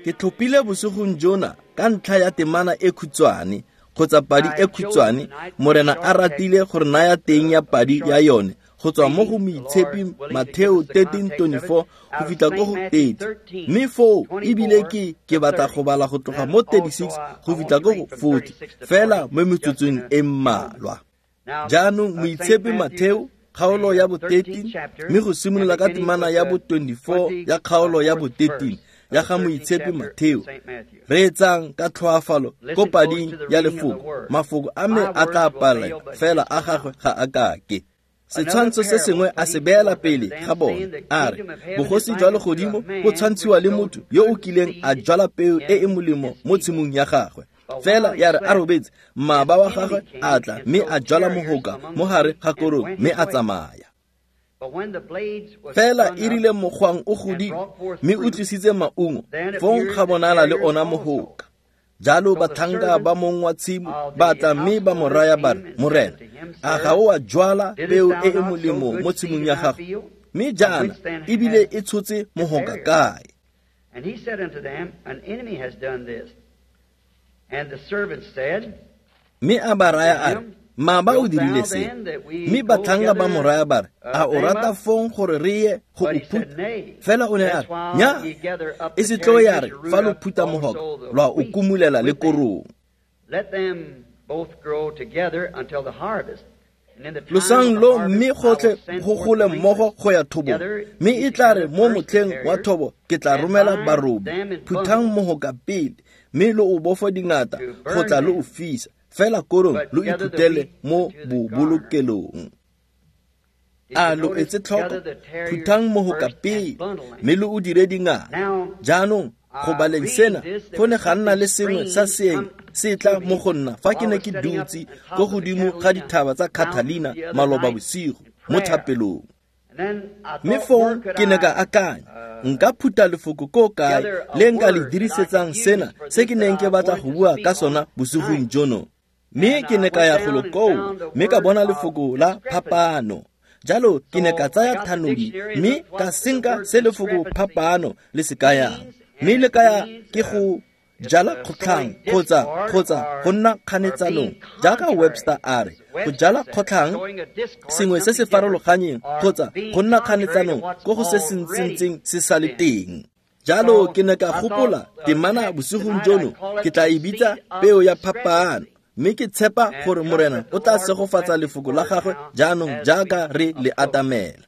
Ke tlhophile bosigong jona ka ntlha ya temana e khutshwane kgotsa padi e khutshwane, Morena a ratile gore naya teng ya padi ya yone go tswa mo go Moitshepi Matheo 13:24 go fitlha ko go 30. Mme foo ebile ke batla go bala go tloga mo 36 go fitlha ko go 40 fela mo metsotsong e mmalwa. Jaanong Moitshepi Matheo kgaolo ya bo 13 mme go simolola ka temana ya bo 24 ya kgaolo ya bo 13 ya ga Moitshepi Matheo. Reetsang ka tlhoafalo ko pading ya lefoko. Mafoko a me a tla palela, fela a gagwe ga a kake. Setshwantsho se sengwe a se beela pele ga bone, a re, bogosi jwa legodimo bo tshwantshiwa le motho yo o kileng a jwala peo e e molemo mo tshimong ya gagwe. Fela ya re a robetse, mmaba wa gagwe a tla mme a jwala mohoka mo gare ga korong mme a tsamaya. Fela e rile mogwang o godile mme o tlisitse maungo, fong ga bonala le ona mohoka. Jalo batlhanka ba mong wa tshimo ba tla mme ba mo raya ba re, Morena, a ga o a jwala peo e e molemo mo tshimong ya gago? Mme jaana ebile e tshotse mohoka kae? And he said unto them, An enemy has done this. And the servants said, Mme a ba raya a re, Mmaba o dirile se. Mme batlhanka ba mo raya ba re, a o rata fong gore re ye go o phutha? Fela o ne a re, nya, e se tlo ya re fa lo phutha mohoka lwa o kumulela le korong. Let them both grow together until the harvest. Losang lo mme gotlhe go gole mmogo go ya thobong, mme e tla re mo motlheng wa thobo ke tla romela barobi. Phuthang mohoka pele mme lo o bofa dingata go tla lo o fisa, fela korong lo iphuthele mo bobolokelong. A lo etse tlhoko? Phuthang mohoka pele mme lo o dire dingata. Jaanong go baleng sena go ne ga nna le sengwe sa seeng se tla mo go nna fa ke ne ke dutse ko godimo ga dithaba tsa Catalina maloba bosigo mo thapelong. Mme fong ke ne ka akanya, nka phutha lefoko ko kae le nka le dirisetsang sena se ke neng ke batla go bua ka sona bosigong jono. Mme ke ne ka ya golo koo mme ka bona lefoko la phapano. Jalo ke ne ka tsaya thanodi mme ka senka se lefoko phapano le se kayang. Mme le kaya ke go jala kgotlhang kgotsa go nna kganetsanong, jaaka Webster a re, go jala kgotlhang sengwe se se farologanyeng kgotsa go nna kganetsanong ko go se se ntseng se sa le teng. Jalo ke ne ka gopola temana bosigong jono ke tla e bitsa peo ya phapano, mme ke tshepa gore Morena o tla segofatsa lefoko la gagwe jaanong jaaka re le atamela.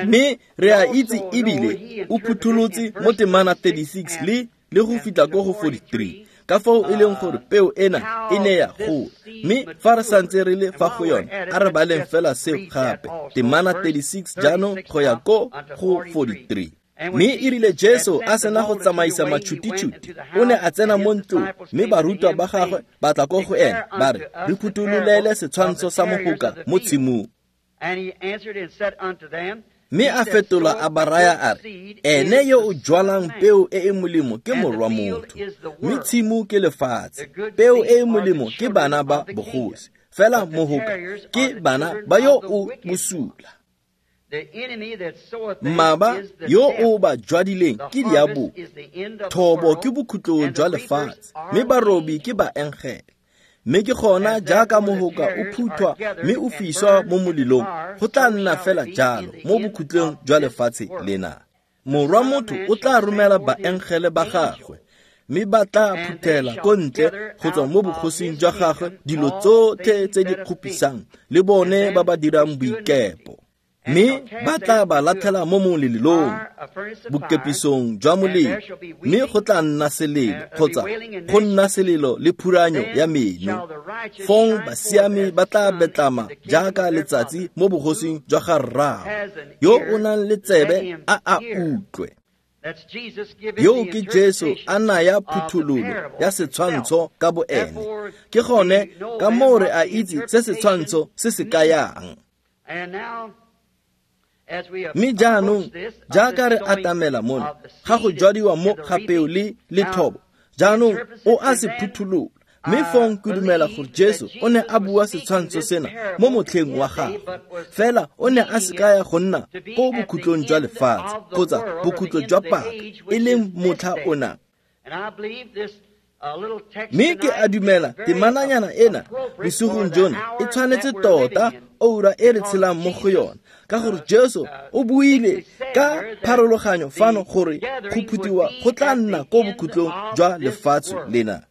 Mme re a itse ebile o phutholotse mo temana 36 le go fitlha ko go 43 ka foo e leng gore peo ena e ne ya gola. Mme fa re santse re le fa go yone, a re baleng fela seo gape, temana 36 jaanong go ya ko go 43. Mme e rile Jesu a sena go tsamaisa matšhutitšhuti, o ne a tsena mo ntlong, mme barutwa ba gagwe ba tla ko go ene ba re, re phuthololele setshwantsho sa mohoka mo tshimong. Mme a fetola a ba raya a re, ene yo o jwalang peo e e molemo ke morwa motho, mme tshimo ke lefatshe. Peo e e molemo ke bana ba bogosi, fela mohoka ke bana ba yo o bosula. Mmaba yo o ba jwadileng ke diabolo. Thobo ke bokhutlo jwa lefatshe, mme barobi ke baengele. Mme ke gona jaaka mohoka o phuthwa mme o fiswa mo molelong, go tla nna fela jalo mo bokhutlong jwa lefatshe lena. Morwa motho o tla romela baengele ba gagwe, mme ba tla phuthela ko ntle go tswa mo bogosing jwa gagwe dilo tsotlhe tse di kgopisang le bone ba ba dirang boikepo. Mme ba tla ba latlhela mo molelong, bokepisong jwa molelo, mme go tla nna selelo kgotsa go nna selelo le phuranyo ya meno. Fong basiami ba tla betlama jaaka letsatsi mo bogosing jwa ga Rraagwe. Yo o nang le tsebe a a utlwe. Yo ke Jesu a naya phuthololo ya setshwantsho ka boene. Ke gone ka moo re a itse se setshwantsho se se kayang. Mme jaanong jaaka re atamela mona ga go jwadiwa mo ga peo le thobo, jaanong o a se phutholola. Mme fong ke dumela gore Jesu o ne a bua setshwantsho sena mo motlheng wa gagwe, fela o ne a se kaya go nna ko bokhutlong jwa lefatshe kgotsa bokhutlo jwa paka, e leng motlha ona. Mme ke a dumela temananyana ena bosigong jono e tshwanetse tota oura e re tshelang mo go yona, ka gore Jesu o buile ka pharologanyo fano gore go phutiwa go tla nna ko bokhutlong jwa lefatshe lena,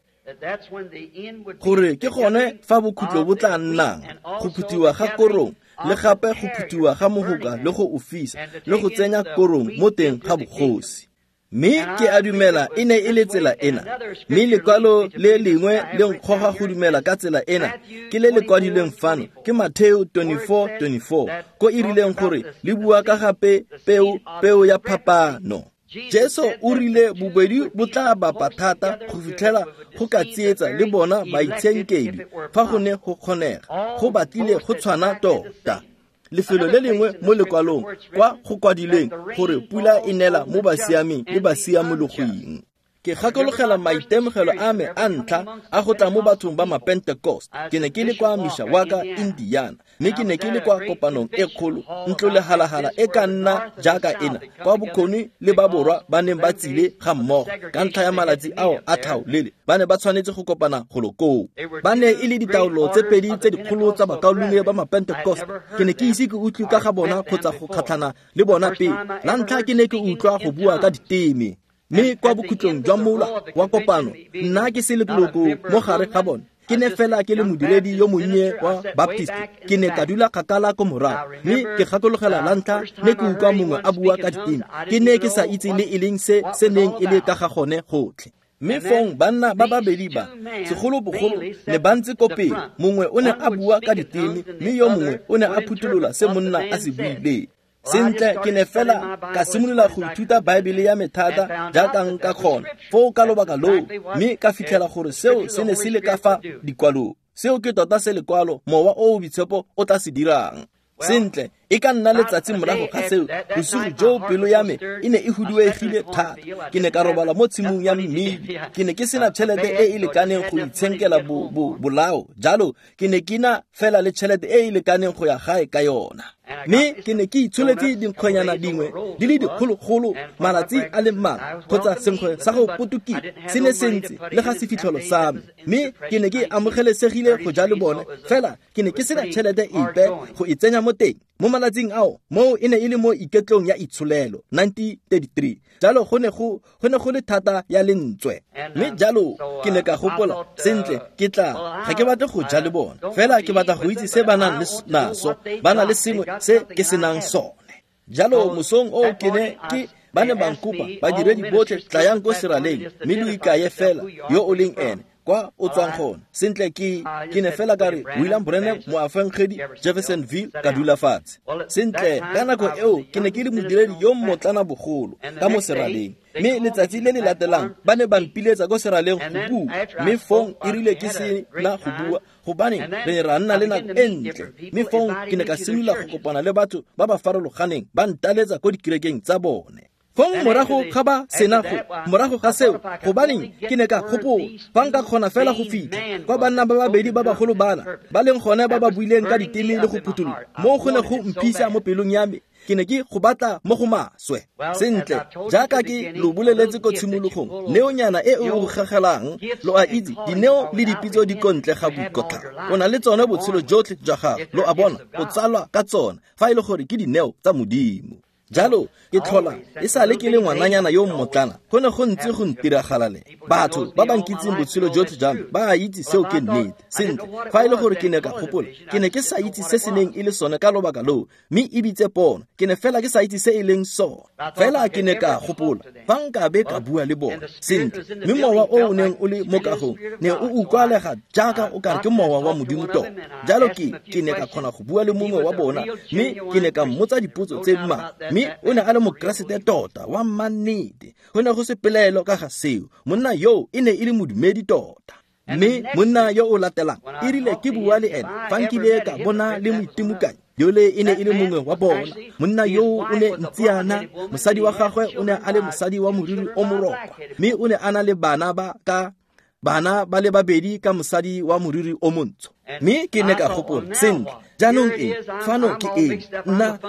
gore ke gone fa bokhutlo bo tla nnang, go phutiwa ga korong le gape go phutiwa ga mohoka le go o fisa le go tsenya korong mo teng ga bogosi. Mme ke a dumela e ne e le tsela ena, mme lekwalo le lengwe le nkgoga go dumela ka tsela ena ke le le kwadilweng fano ke Mateo 24:24, ko e rileng gore le bua ka gape peo ya phapano. Jesu o rile bobedi bo tla bapa thata go fitlhela go ka tsietsa le bona baitshenkedi fa go ne go kgonega, go batlile go tshwana tota. Lefelo le lengwe mo lekwalong kwa go kwadilweng gore pula e nela mo basiaming le basiamologing. Ke gakologela maitemogelo a me a ntlha a go tla mo bathong ba Mapentecost. Ke ne ke le kwa Mishawaka, Indiana, mme ke ne ke le kwa kopanong e kgolo, ntlo lehalahala e ka nna jaaka ena, kwa bokgoni le ba borwa ba neng ba tsile ga mmogo ka ntlha ya malatsi ao a tlhaolele, ba ne ba tshwanetse go kopana golo koo. Ba ne e le ditaolo tse pedi tse dikgolo tsa bakaulengwe ba Mapentecost. Ke ne ke ise ke utlwe ka ga bona kgotsa go kgatlhana le bona pele. La ntlha ke ne ke utlwa go bua ka diteme. Mme kwa bokhutlong jwa mola wa kopano, nna ke se leloko mo gare ga bone, ke ne fela ke le modiredi yo monnye wa Baptist. Ke ne ka dula kgakala ko morago, mme ke gakologela la ntlha ne ke utlwa mongwe a bua ka diteme. Ke ne ke sa itse le e leng se se neng e le ka ga gone gotlhe. Mme fong banna ba babedi ba, segolobogolo ne ba ntse ko pele, mongwe o ne a bua ka diteme, mme yo mongwe o ne a phuthulola se monna a se buileng. Sentle, ke ne fela ka simolola go ithuta Baebele ya me thata jaaka nka kgona foo ka lobaka loo, mme ka fitlhela gore seo se ne se le ka fa dikwalong. Seo ke tota se lekwalo Mowa o o Boitshepo o tla se dirang. Sentle, e ka nna letsatsi morago ga seo, bosigo joo pelo ya me e ne e huduegile thata. Ke ne ka robala mo tshimong ya mmidi. Ke ne ke sena tšhelete e e lekaneng go itshenkela bolao, jalo ke ne ke na fela le tšhelete e e lekaneng go ya gae ka yona. Mme ke ne ke itsholetse dinkgwenyana dingwe di le dikgologolo malatsi a le mmalwa, kgotsa senkgwe sa go potokiwa se ne se ntse le ga sefitlholo sa me, mme ke ne ke amogelesegile go ja le bone, fela ke ne ke sena tšhelete epe go e tsenya mo teng. Mo malatsing ao, moo e ne e le mo iketlong ya itsholelo 1933, jalo go ne go le thata ya lentswe. Mme jalo ke ne ka gopola, sentle, ke tla ga ke batle go ja le bona, fela ke batla go itse se ba nang le naso, ba na le sengwe se ke senang sone. Jalo mosong o ke ne ke ba ne ba nkopa, badiredi botlhe tlayang ko seraleng mme lo ikaye fela yo o leng ene kwa o tswang gone. Sentle, ke ne fela ka re William Branham, moafangedi Jeffersonville, ka dula fatshe. Sentle, ka nako eo ke ne ke le modiredi yo mmotlana bogolo ka mo seraleng, mme letsatsi le le latelang ba ne ba mpiletsa ko seraleng go bua, mme fong e rile ke se na go bua gobane re ne ra nna le nako e ntle. Mme fong ke ne ka simolola go kopana le batho ba ba farologaneng, ba ntaletsa ko dikerekeng tsa bone. Fong morago ga ba sena go, morago ga seo, gobaneng ke ne ka gopola fa nka kgona fela go fitlha kwa banna ba babedi ba bagolo bana ba leng gone ba ba buileng ka diteme le go phuthulola, moo go ne go mphisa mo pelong ya me. Ke ne ke go batla mo go maswe. Sentle, jaaka ke lo boleletse ko tshimologong, neonyana e o gagelang, lo a itse, dineo le dipitso di kontle ga boikotlhao. O na le tsone botshelo jotlhe jwa gago, lo a bona, o tsalwa ka tsona, fa e le gore ke dineo tsa Modimo. Jalo ke tlhola e sale ke le ngwananyana yo mmotlana, go ne go ntse go ntiragalela. Batho ba ba nkitseng botshelo jotlhe jwa me ba a itse seo ke nnete. Sentle, fa e le gore ke ne ka gopola, ke ne ke sa itse se se neng e le sone ka lobaka loo, mme e bitse pono, ke ne fela ke sa itse se e leng sone. Fela ke ne ka gopola fa nkabe ka bua le bona. Sentle, mme mowa o o neng o le mo kagong ne o utlwalega jaaka o kare ke mowa wa Modimo tota. Jalo ke ne ka kgona go bua le mongwe wa bona, mme ke ne ka mmotsa dipotso tse mmalwa, mme o ne a le mokeresete tota wa mannete. Go ne go se pelaelo ka ga seo, monna yo e ne e le modumedi tota. Mme monna yo o latelang e rile ke bua le ene fa nkile ka bona le moitimokanyi yole e ne e le mongwe wa bona. Monna yo o ne ntsiana, mosadi wa gagwe o ne a le mosadi wa moriri o morokwa, mme o ne a na le bana ba ka Bana ba le babedi ka mosadi wa moriri o montsho. Mme ke ne ka gopola, sentle, jaanong eng, fano ke eng,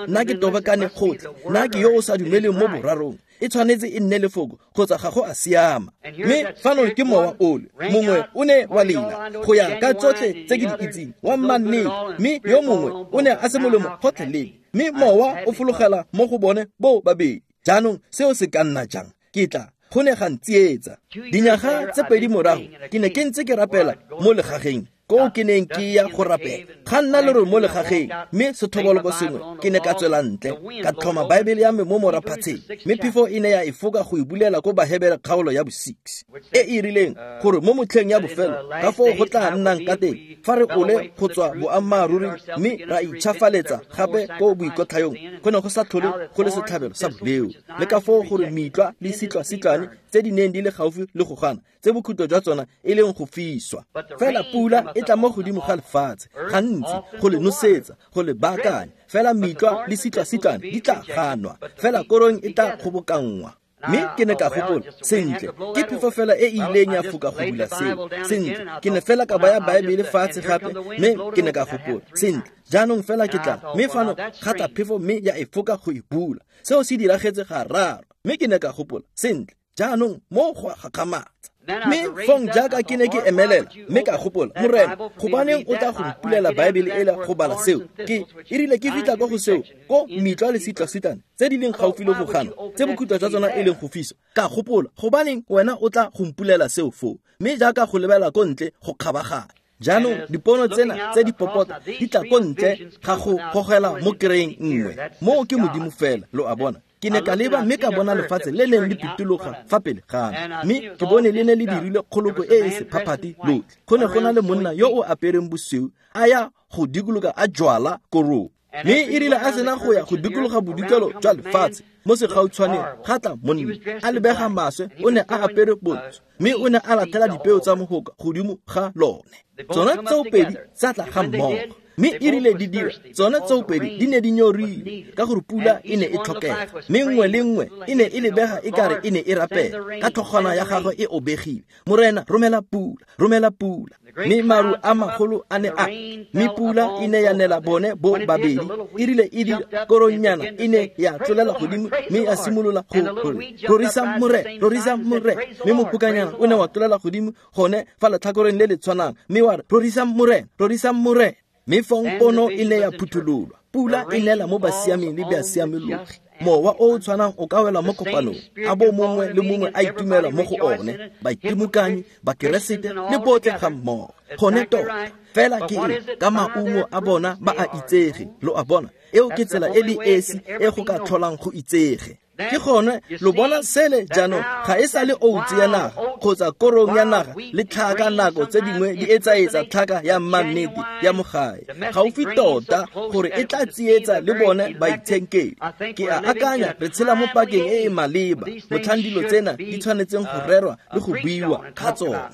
nna ke tobokane gotlhe, nna ke yo o sa dumeleng mo borarong, e tshwanetse e nne lefoko kgotsa ga go a siama. Mme fano ke mowa ole, mongwe o ne wa lela go ya ka tsotlhe tse ke di itseng, wa mmannete, mme yo mongwe o ne a se molemo gotlhelele, mme mowa o fologela mo go bone bo babedi. Jaanong seo se ka nna jang? Ke tla go ne ga ntsietsa. Dinyaga tse pedi morago ke ne ke ntse ke rapela mo legageng koo ke neng ke ya go rapela. Ga nna lero mo legageng, mme sethoboloko sengwe ke ne ka tswela ntle, ka tlhoma Baebele ya me mo moraphatsheng, mme phefo e ne ya e foka go e bulela ko Bahebere kgaolo ya bo-6, e e rileng gore mo motlheng ya bofelo ka foo go tla nnang ka teng fa re ole go tswa boammaaruri mme ra itšhafaletsa gape ko boikotlhayong, go ne go sa tlhole go le setlhabelo sa boleo, le ka foo gore mitlwa le sitlwa-sitlwane tse di neng di le gaufi le go gana, tse bokhutlo jwa tsona e leng go fiswa. Fela pula e tla mo godimo ga lefatshe gantsi go le nosetsa, go le baakanya, fela mitlwa le sitlwa-sitlwane di tla ganwa, fela korong e tla kgobokanngwa. Mme ke ne ka gopola, sentle, ke phefo fela e ileng ya foka go bula seo. Sentle, ke ne fela ka baya Baebele fatshe gape, mme ke ne ka gopola, sentle, jaanong fela ke tla, mme fano ga tla phefo mme ya e foka go e bula. Seo se diragetse gararo, mme ke ne ka gopola, sentle, jaanong mo go a gakgamatsa. Mme fong jaaka ke ne ke emelela, mme ka gopola, Morena, gobaneng o tla go mpulela Baebele ela go bala seo? Ke e rile ke fitlha kwa go seo, ko mitlwa le sitlwa-sitlwane tse di leng gaufi le go gana, tse bokhutlo jwa tsona e leng go fiswa. Ka gopola, gobaneng wena o tla go mpulela seo foo? Mme jaaka go lebela ko ntle go kgabaganya. Jaanong dipono tsena tse di popota di tla ko ntle ga go gogela mo kereing nngwe. Moo ke Modimo fela, lo a bona. Ke ne ka leba mme ka bona lefatshe le neng le pitologa fa pele ga me, mme ke bone le ne le dirile kgoloko e e sephaphati lotlhe. Go ne go na le monna yo o apereng bosweu a ya go dikologa a jwala korong. Mme e rile a sena go ya go dikologa bodikelo jwa lefatshe mo segautshwaneng, ga tla monna a lebega maswe, o ne a apere bontsho, mme o ne a latlhela dipeo tsa mogoka godimo ga lone. Tsona tseo pedi tsa tla ga mmogo, mme e rile di dira, tsona tseo pedi di ne di nyorile ka gore pula e ne e tlhokega, mme nngwe le nngwe e ne e lebega e kare e ne e rapela ka tlhogwana ya gagwe e obegile, Morena, romela pula, romela pula. Mme maru a magolo a ne a, mme pula e ne ya nela bone bo babedi. E rile e dira, koronyana e ne ya tlolela godimo mme ya simolola go re, rorisa Morena, rorisa Morena. Mme mopokanyana o ne wa tlolela godimo gone fa letlhakoreng le le tshwanang, mme wa re, rorisa Morena, rorisa Morena. Mme fong pono e ne ya phuthololwa, pula e nela mo basiaming le basiamologi. Mowa o o tshwanang o ka wela mo kopanong, a bo mongwe le mongwe a itumela mo go one, baitimokanyi, bakeresete le botlhe ga mmogo. Gone tota, fela ke eng, ka maungo a bona ba a itsege, lo a bona. Eo ke tsela e le esi e go ka tlholang go itsege. Ke gone lo bona sele jaanong ga e sa le outse ya naga kgotsa korong ya naga le tlhaka nako tse dingwe di etsaetsa tlhaka ya mmannete ya mo gae gaufi tota gore e tla tsietsa le bone baitshenkedi. Ke a akanya re tshela mo pakeng e e maleba motlhang dilo tsena di tshwanetseng go rerwa le go buiwa ka tsona.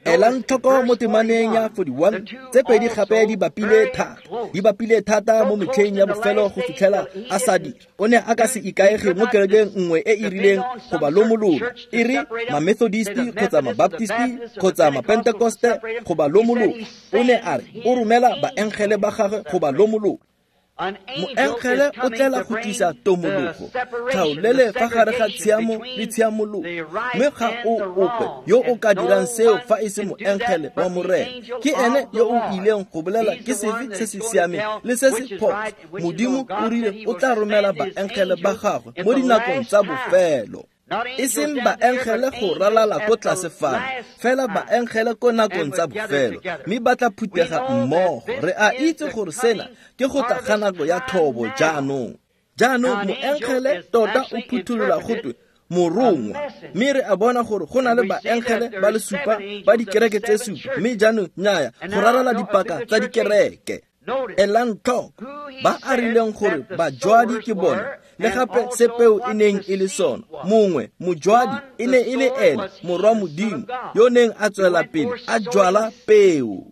Elang tlhoko mo temaneng ya 41, tse pedi gape di bapile thata, di bapile thata mo metlheng ya bofelo go fitlhela a sa dira. O ne a ka se ikaege mo kerekeng nngwe e e rileng go ba lomolola, e re ma-Methodisti kgotsa ma-Baptisti kgotsa ma-Pentekoste go ba lomolola. O ne a re o romela baengele ba gagwe go ba lomolola. Moengele o tlela go tlisa tomologo, tlhaolele fa gare ga tshiamo le tshiamologo, mme ga o ope yo o ka dirang seo fa e se moengele wa Morena. Ke ene yo o ileng go bolela ke sefe se se siameng le se se phoso. Modimo o rile o tla romela baengele ba gagwe mo dinakong tsa bofelo. E seng baengele go ralala ko tlase fano, fela baengele ko nakong tsa bofelo, mme ba tla phutega mmogo. Re a itse gore sena ke go tla ga nako ya thobo jaanong. Jaanong moengele tota o phutholola gotwe morongwa, mme re a bona gore go na le baengele ba le supa ba dikereke tse supa, mme jaanong nnyaya go ralala dipaka tsa dikereke. Elang tlhoko ba a rileng gore bajwadi ke bone, le gape se peo e neng e le sona. Mongwe mojwadi e ne e le ene morwa Modimo yo neng a tswela pele a jwala peo,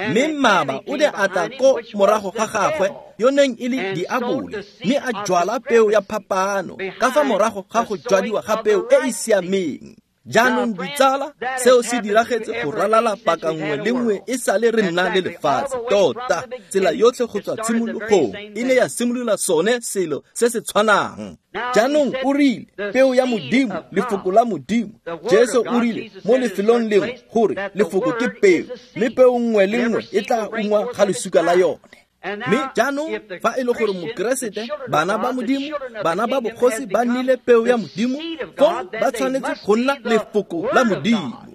mme mmaba o ne a tla ko morago ga gagwe yo neng e le diabole, mme a jwala peo ya phapano ka fa morago ga go jwadiwa ga peo e e siameng. Jaanong ditsala, seo se diragetse go ralala paka nngwe le nngwe e sale re nna le lefatshe. Tota, tsela yotlhe go tswa tshimologong e ne ya simolola sone selo se se tshwanang. Jaanong o rile, peo ya Modimo, lefoko la Modimo. Jesu o rile mo lefelong lengwe gore lefoko ke peo, mme peo nngwe le nngwe e tla ungwa ga lesuka la yone. Mme jaanong fa e le gore Mokeresete, bana ba Modimo, bana ba bogosi ba nnile peo ya Modimo, fong ba tshwanetse go nna lefoko la Modimo.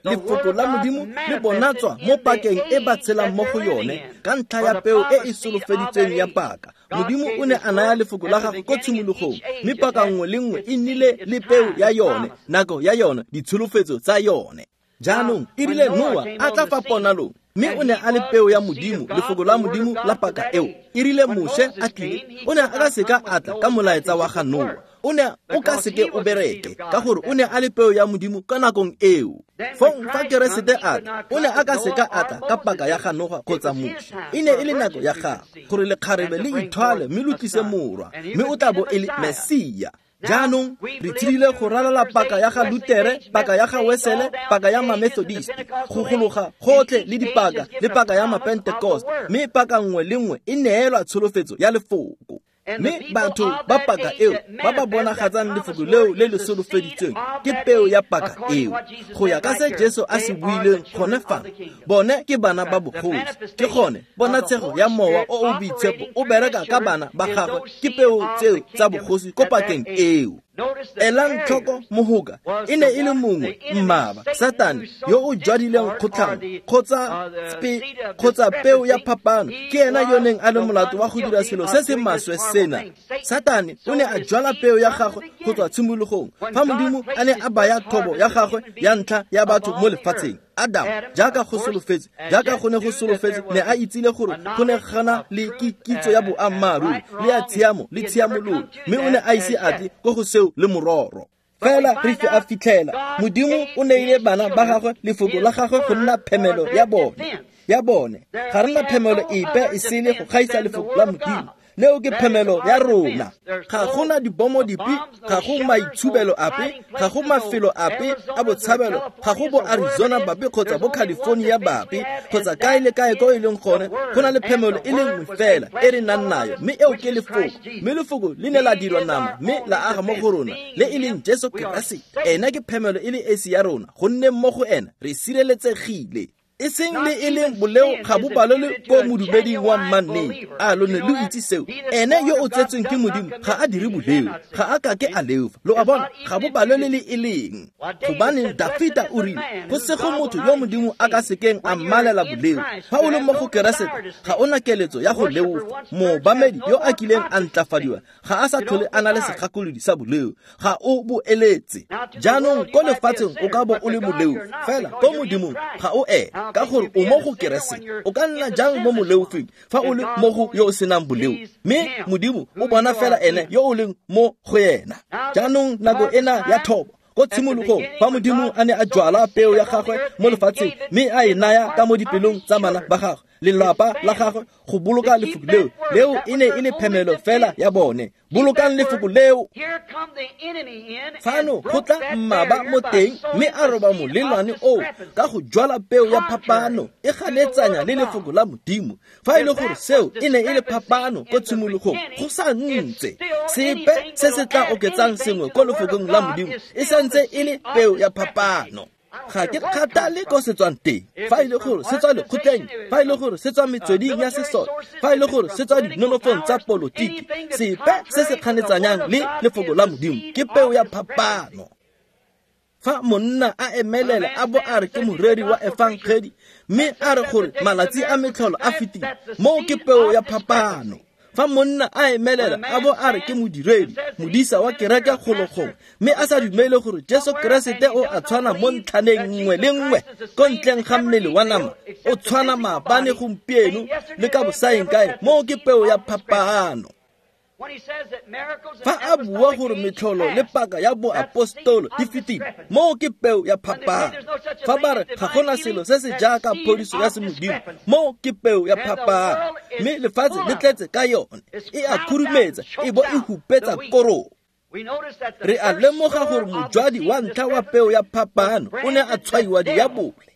Lefoko la Modimo le bonatswa mo pakeng e ba tshelang mo go yone ka ntlha ya peo e e solofeditsweng ya paka. Modimo o ne a naya lefoko la gagwe ko tshimologong, mme paka nngwe le nngwe e nnile le peo ya yone, nako ya yone, ditsholofetso tsa yone. Jaanong e rile Noa a tla fa ponalong, mme o ne a le peo ya Modimo, lefoko la Modimo la paka eo. E rile Moshe a tlile, o ne a ka seka a tla ka molaetsa wa ga Noa. O ne o ka seke o bereke, ka gore o ne a le peo ya Modimo ka nakong eo. Fong fa Keresete a tla, o ne a ka seka a tla ka paka ya ga Noa kgotsa Moshe. E ne e le nako ya gagwe gore lekgarebe le ithwale mme lo tlise morwa, mme o tla bo e le Mesia. Jaanong re tshedile go ralala paka ya ga Lutere, paka ya ga Wesele, paka ya Mamethodist, go gologa gotlhe le dipaka le paka ya Mapentecost, mme paka nngwe le nngwe e neelwa tsholofetso ya lefoko. Mme batho ba paka eo ba ba bonagatsang lefoko leo le le solofeditsweng ke peo ya paka eo. Go ya ka se Jesu a se buileng gone fa, bone ke bana ba bogosi. Ke gone ponatshego ya Mowa o o Boitshepo o bereka ka bana ba gagwe, ke peo tseo tsa bogosi ko pakeng eo. Elang tlhoko mohoka e ne e le mongwe mmaba, Satane, yo o jwadileng kgotlhang kgotsa peo ya phapano. Ke ena yo neng a le molato wa go dira selo se se maswe sena. Satane o ne a jwala peo ya gagwe go tswa tshimologong fa Modimo a ne a baya thobo ya gagwe ya ntlha ya batho mo lefatsheng. Adam, jaaka go solofetse, jaaka go ne go solofetse, ne a itsile gore go ne gana le kitso ya boammaaruri le ya tshiamo le tshiamololo, mme o ne a ise a tle ko go seo le mororo. Fela re a fitlhela Modimo o neile bana ba gagwe lefoko la gagwe go nna phemelo ya bone. Ga re na phemelo epe e sele go gaisa lefoko la Modimo. Leo ke phemelo ya rona. Ga gona dibomo dipe, ga go maitshubelo ape, ga go mafelo ape a botshabelo, ga go bo Arizona bape kgotsa bo California bape, kgotsa kae le kae ko e leng gone. Go na le phemelo e le nngwe fela e re nang nayo, mme eo ke lefoko. Mme lefoko le ne la dirwa nama mme la aga mo go rona, le e leng Jesu Keresete. Ena ke phemelo e le esi ya rona, gonne mo go ena re sireletsegile. E seng le e leng boleo ga bo balelwe ko modumeding wa mmannete. A lo ne lo itse seo? Ene yo o tsetsweng ke Modimo ga a dire boleo, ga a kake a leofa. Lo a bona, ga bo balelwe le e leng. Gobane Dafita o rile, go sego motho yo Modimo a ka sekeng a mmalela boleo. Fa o le mo go Keresete, ga o na keletso ya go leofa. Moobamedi yo a kileng a ntlafadiwa ga a sa tlhole a na le segakolodi sa boleo, ga o bo eletse. Jaanong ko lefatsheng o ka bo o le moleo, fela ko Modimong ga o ena, ka gore o mo go Keresete. O ka nna jang mo moleofeng fa o le mo go yo o senang boleo? Mme Modimo o bona fela ene yo o leng mo go ena. Jaanong nako ena ya thobo, ko tshimologong fa Modimo a ne a jwala peo ya gagwe mo lefatsheng mme a e naya ka mo dipelong tsa bana ba gagwe, lelapa la gagwe, go boloka lefoko leo. Leo e ne e le phemelo fela ya bone. Bolokang lefoko leo. Fano go tla mmaba mo teng mme a roba molelwane oo ka go jwala peo ya phapano e ganetsanya le lefoko la Modimo. Fa e le gore seo e ne e le phapano ko tshimologong, go sa ntse sepe se se tla oketsang sengwe ko lefokong la Modimo e santse e le peo ya phapano. Ga ke kgathale ko se tswang teng. Fa e le gore se tswa lekgotleng, fa e le gore se tswa metsweding ya sesole, fa e le gore se tswa dinonofong tsa polotiki, sepe se se kganetsanyang le lefoko la Modimo ke peo ya phapano. Fa monna a emelela a bo a re ke moreri wa efangedi, mme a re gore malatsi a metlholo a fetile, moo ke peo ya phapano. Fa monna a emelela a bo a re ke modiredi, modisa wa kereke golo gongwe, mme a sa dumele gore Jesu Keresete o a tshwana mo ntlhaneng nngwe le nngwe ko ntleng ga mmele wa nama, o tshwana maabane gompieno le ka bosaeng kae, moo ke peo ya phapano. Fa a bua gore metlholo le paka ya boapostolo di fetile, moo ke peo ya phapano. Fa ba re ga gona selo se se jaaka phodiso ya semodimo, moo ke peo ya phapano. Mme lefatshe le tletse ka yone, e a khurumetsa e bo e hupetsa korong. Re a lemoga gore mojwadi wa ntlha wa peo ya phapano o ne a tshwaiwa diabole,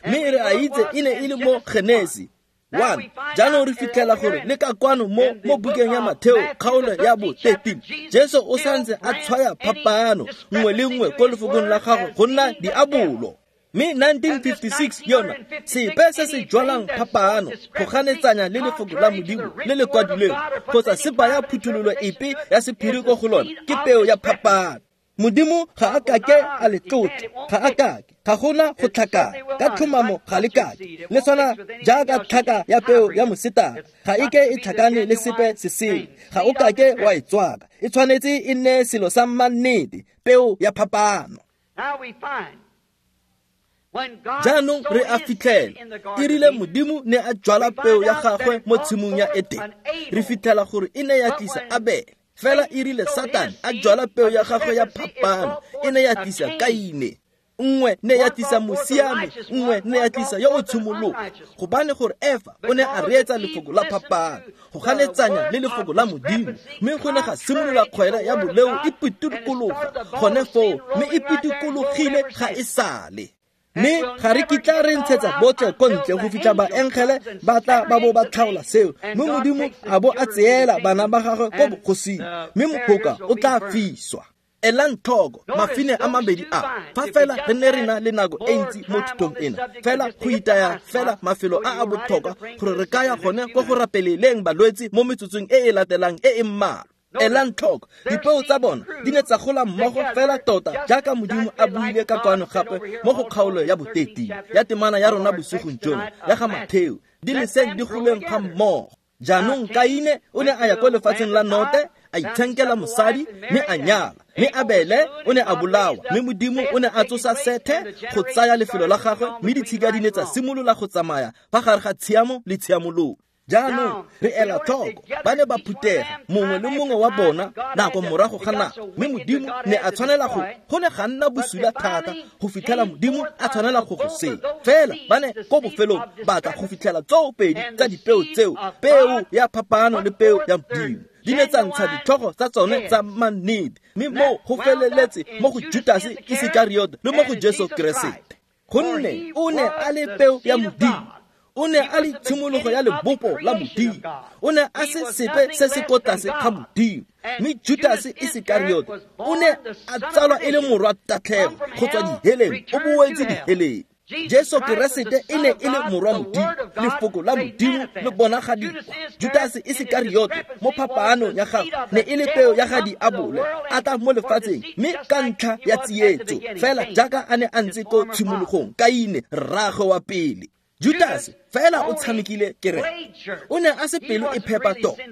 mme re a itse e ne e le mo Genesi 1. Jaanong re fitlhela gore le ka kwano mo bukeng ya Matheo kgaolo ya bo 13, Jesu o santse a tshwaya phapano nngwe le nngwe ko lefokong la gagwe go nna diabolo. Mme 1956 yona sepe se se jwalang phapano go ganetsanya le lefoko la Modimo le le kwadilweng kgotsa se baya phuthololo epe ya sephiri ko go lona ke peo ya phapano. Modimo ga a kake a le tlotla, ga a kake, ga gona go tlhakana ka tlhomamo, ga le kake. Le tshwana jaaka tlhaka ya peo ya mosetara, ga e ke e tlhakane le sepe se sengwe, ga o kake wa e tswaka. E tshwanetse e nne selo sa mannete, peo ya phapano. Jaanong re a fitlhela e rile Modimo ne a jwala peo ya gagwe mo tshimong ya Edene, re fitlhela gore e ne ya tlisa Abele. Fela e rile Satane a jwala peo ya gagwe ya phapano, e ne ya tlisa Kaine. Nngwe ne ya tlisa mosiami, nngwe ne ya tlisa yo o tshimologo, gobane gore Efa o ne a reetsa lefoko la phapano go ganetsanya le lefoko la Modimo, mme go ne ga simolola kgwele ya boleo e pitikologa gone foo, mme e pitikologile ga e sale. Mme ga re kitla re ntshetsa botlhe ko ntle go fitlha baengele ba tla ba bo ba tlhaola seo, mme Modimo a bo a tseela bana ba gagwe ko bogosing, mme mohoka o tla fiswa. Elang tlhoko mafine a mabedi a, fa fela re ne re na le nako e ntsi mo thutong ena, fela go itaya fela mafelo a a botlhokwa gore re ka ya gone ko go rapeleleng balwetse mo metsotsong e e latelang e e mmalwa. Elang tlhoko dipeo tsa bona di ne tsa gola mmogo fela tota jaaka Modimo a buile ka kwano gape mo go kgaolo ya bo-13 ya temana ya rona bosigong jono ya ga Matheo, di leseng di goleng ga mmogo. Jaanong Kaine o ne a ya ko lefatsheng la Note, a itshenkela mosadi mme a nyala, mme Abele o ne a bolawa, mme Modimo o ne a tsosa Sethe go tsaya lefelo la gagwe, mme ditshika di ne tsa simolola go tsamaya fa gare ga tshiamo le tshiamololo. Jaanong re ela tlhoko ba ne ba phutega mongwe le mongwe wa bona nako morago ga nako, mme Modimo ne a tshwanela go ne ga nna bosula thata go fitlhela Modimo a tshwanela go go senya. Fela ba ne ko bofelong ba tla go fitlhela tsoo pedi tsa dipeo tseo, peo ya phapano le peo ya Modimo, di ne tsa ntsha ditlhogo tsa tsone tsa mannete, mme moo go feleletse mo go Judase Isekariota le mo go Jesu Keresete, gonne o ne a le peo ya Modimo. O ne a le tshimologo ya lebopo la Modimo, o ne a se sepe se se ko tlase ga Modimo. Mme Judase Isekariota o ne a tsalwa e le morwa tatlhego go tswa diheleng, o boetse diheleng. Jesu Keresete e ne e le morwa Modimo, lefoko la Modimo le bonagadiwa. Judase Isekariota mo phapaanong ya gagwe ne e le peo ya ga diabole, a tla mo lefatsheng mme ka ntlha ya tsietso, fela jaaka a ne a ntse ko tshimologong, Kaine rraagwe wa pele. Judase fela o tshamekile kereke, o ne a se pelo e phepa tota,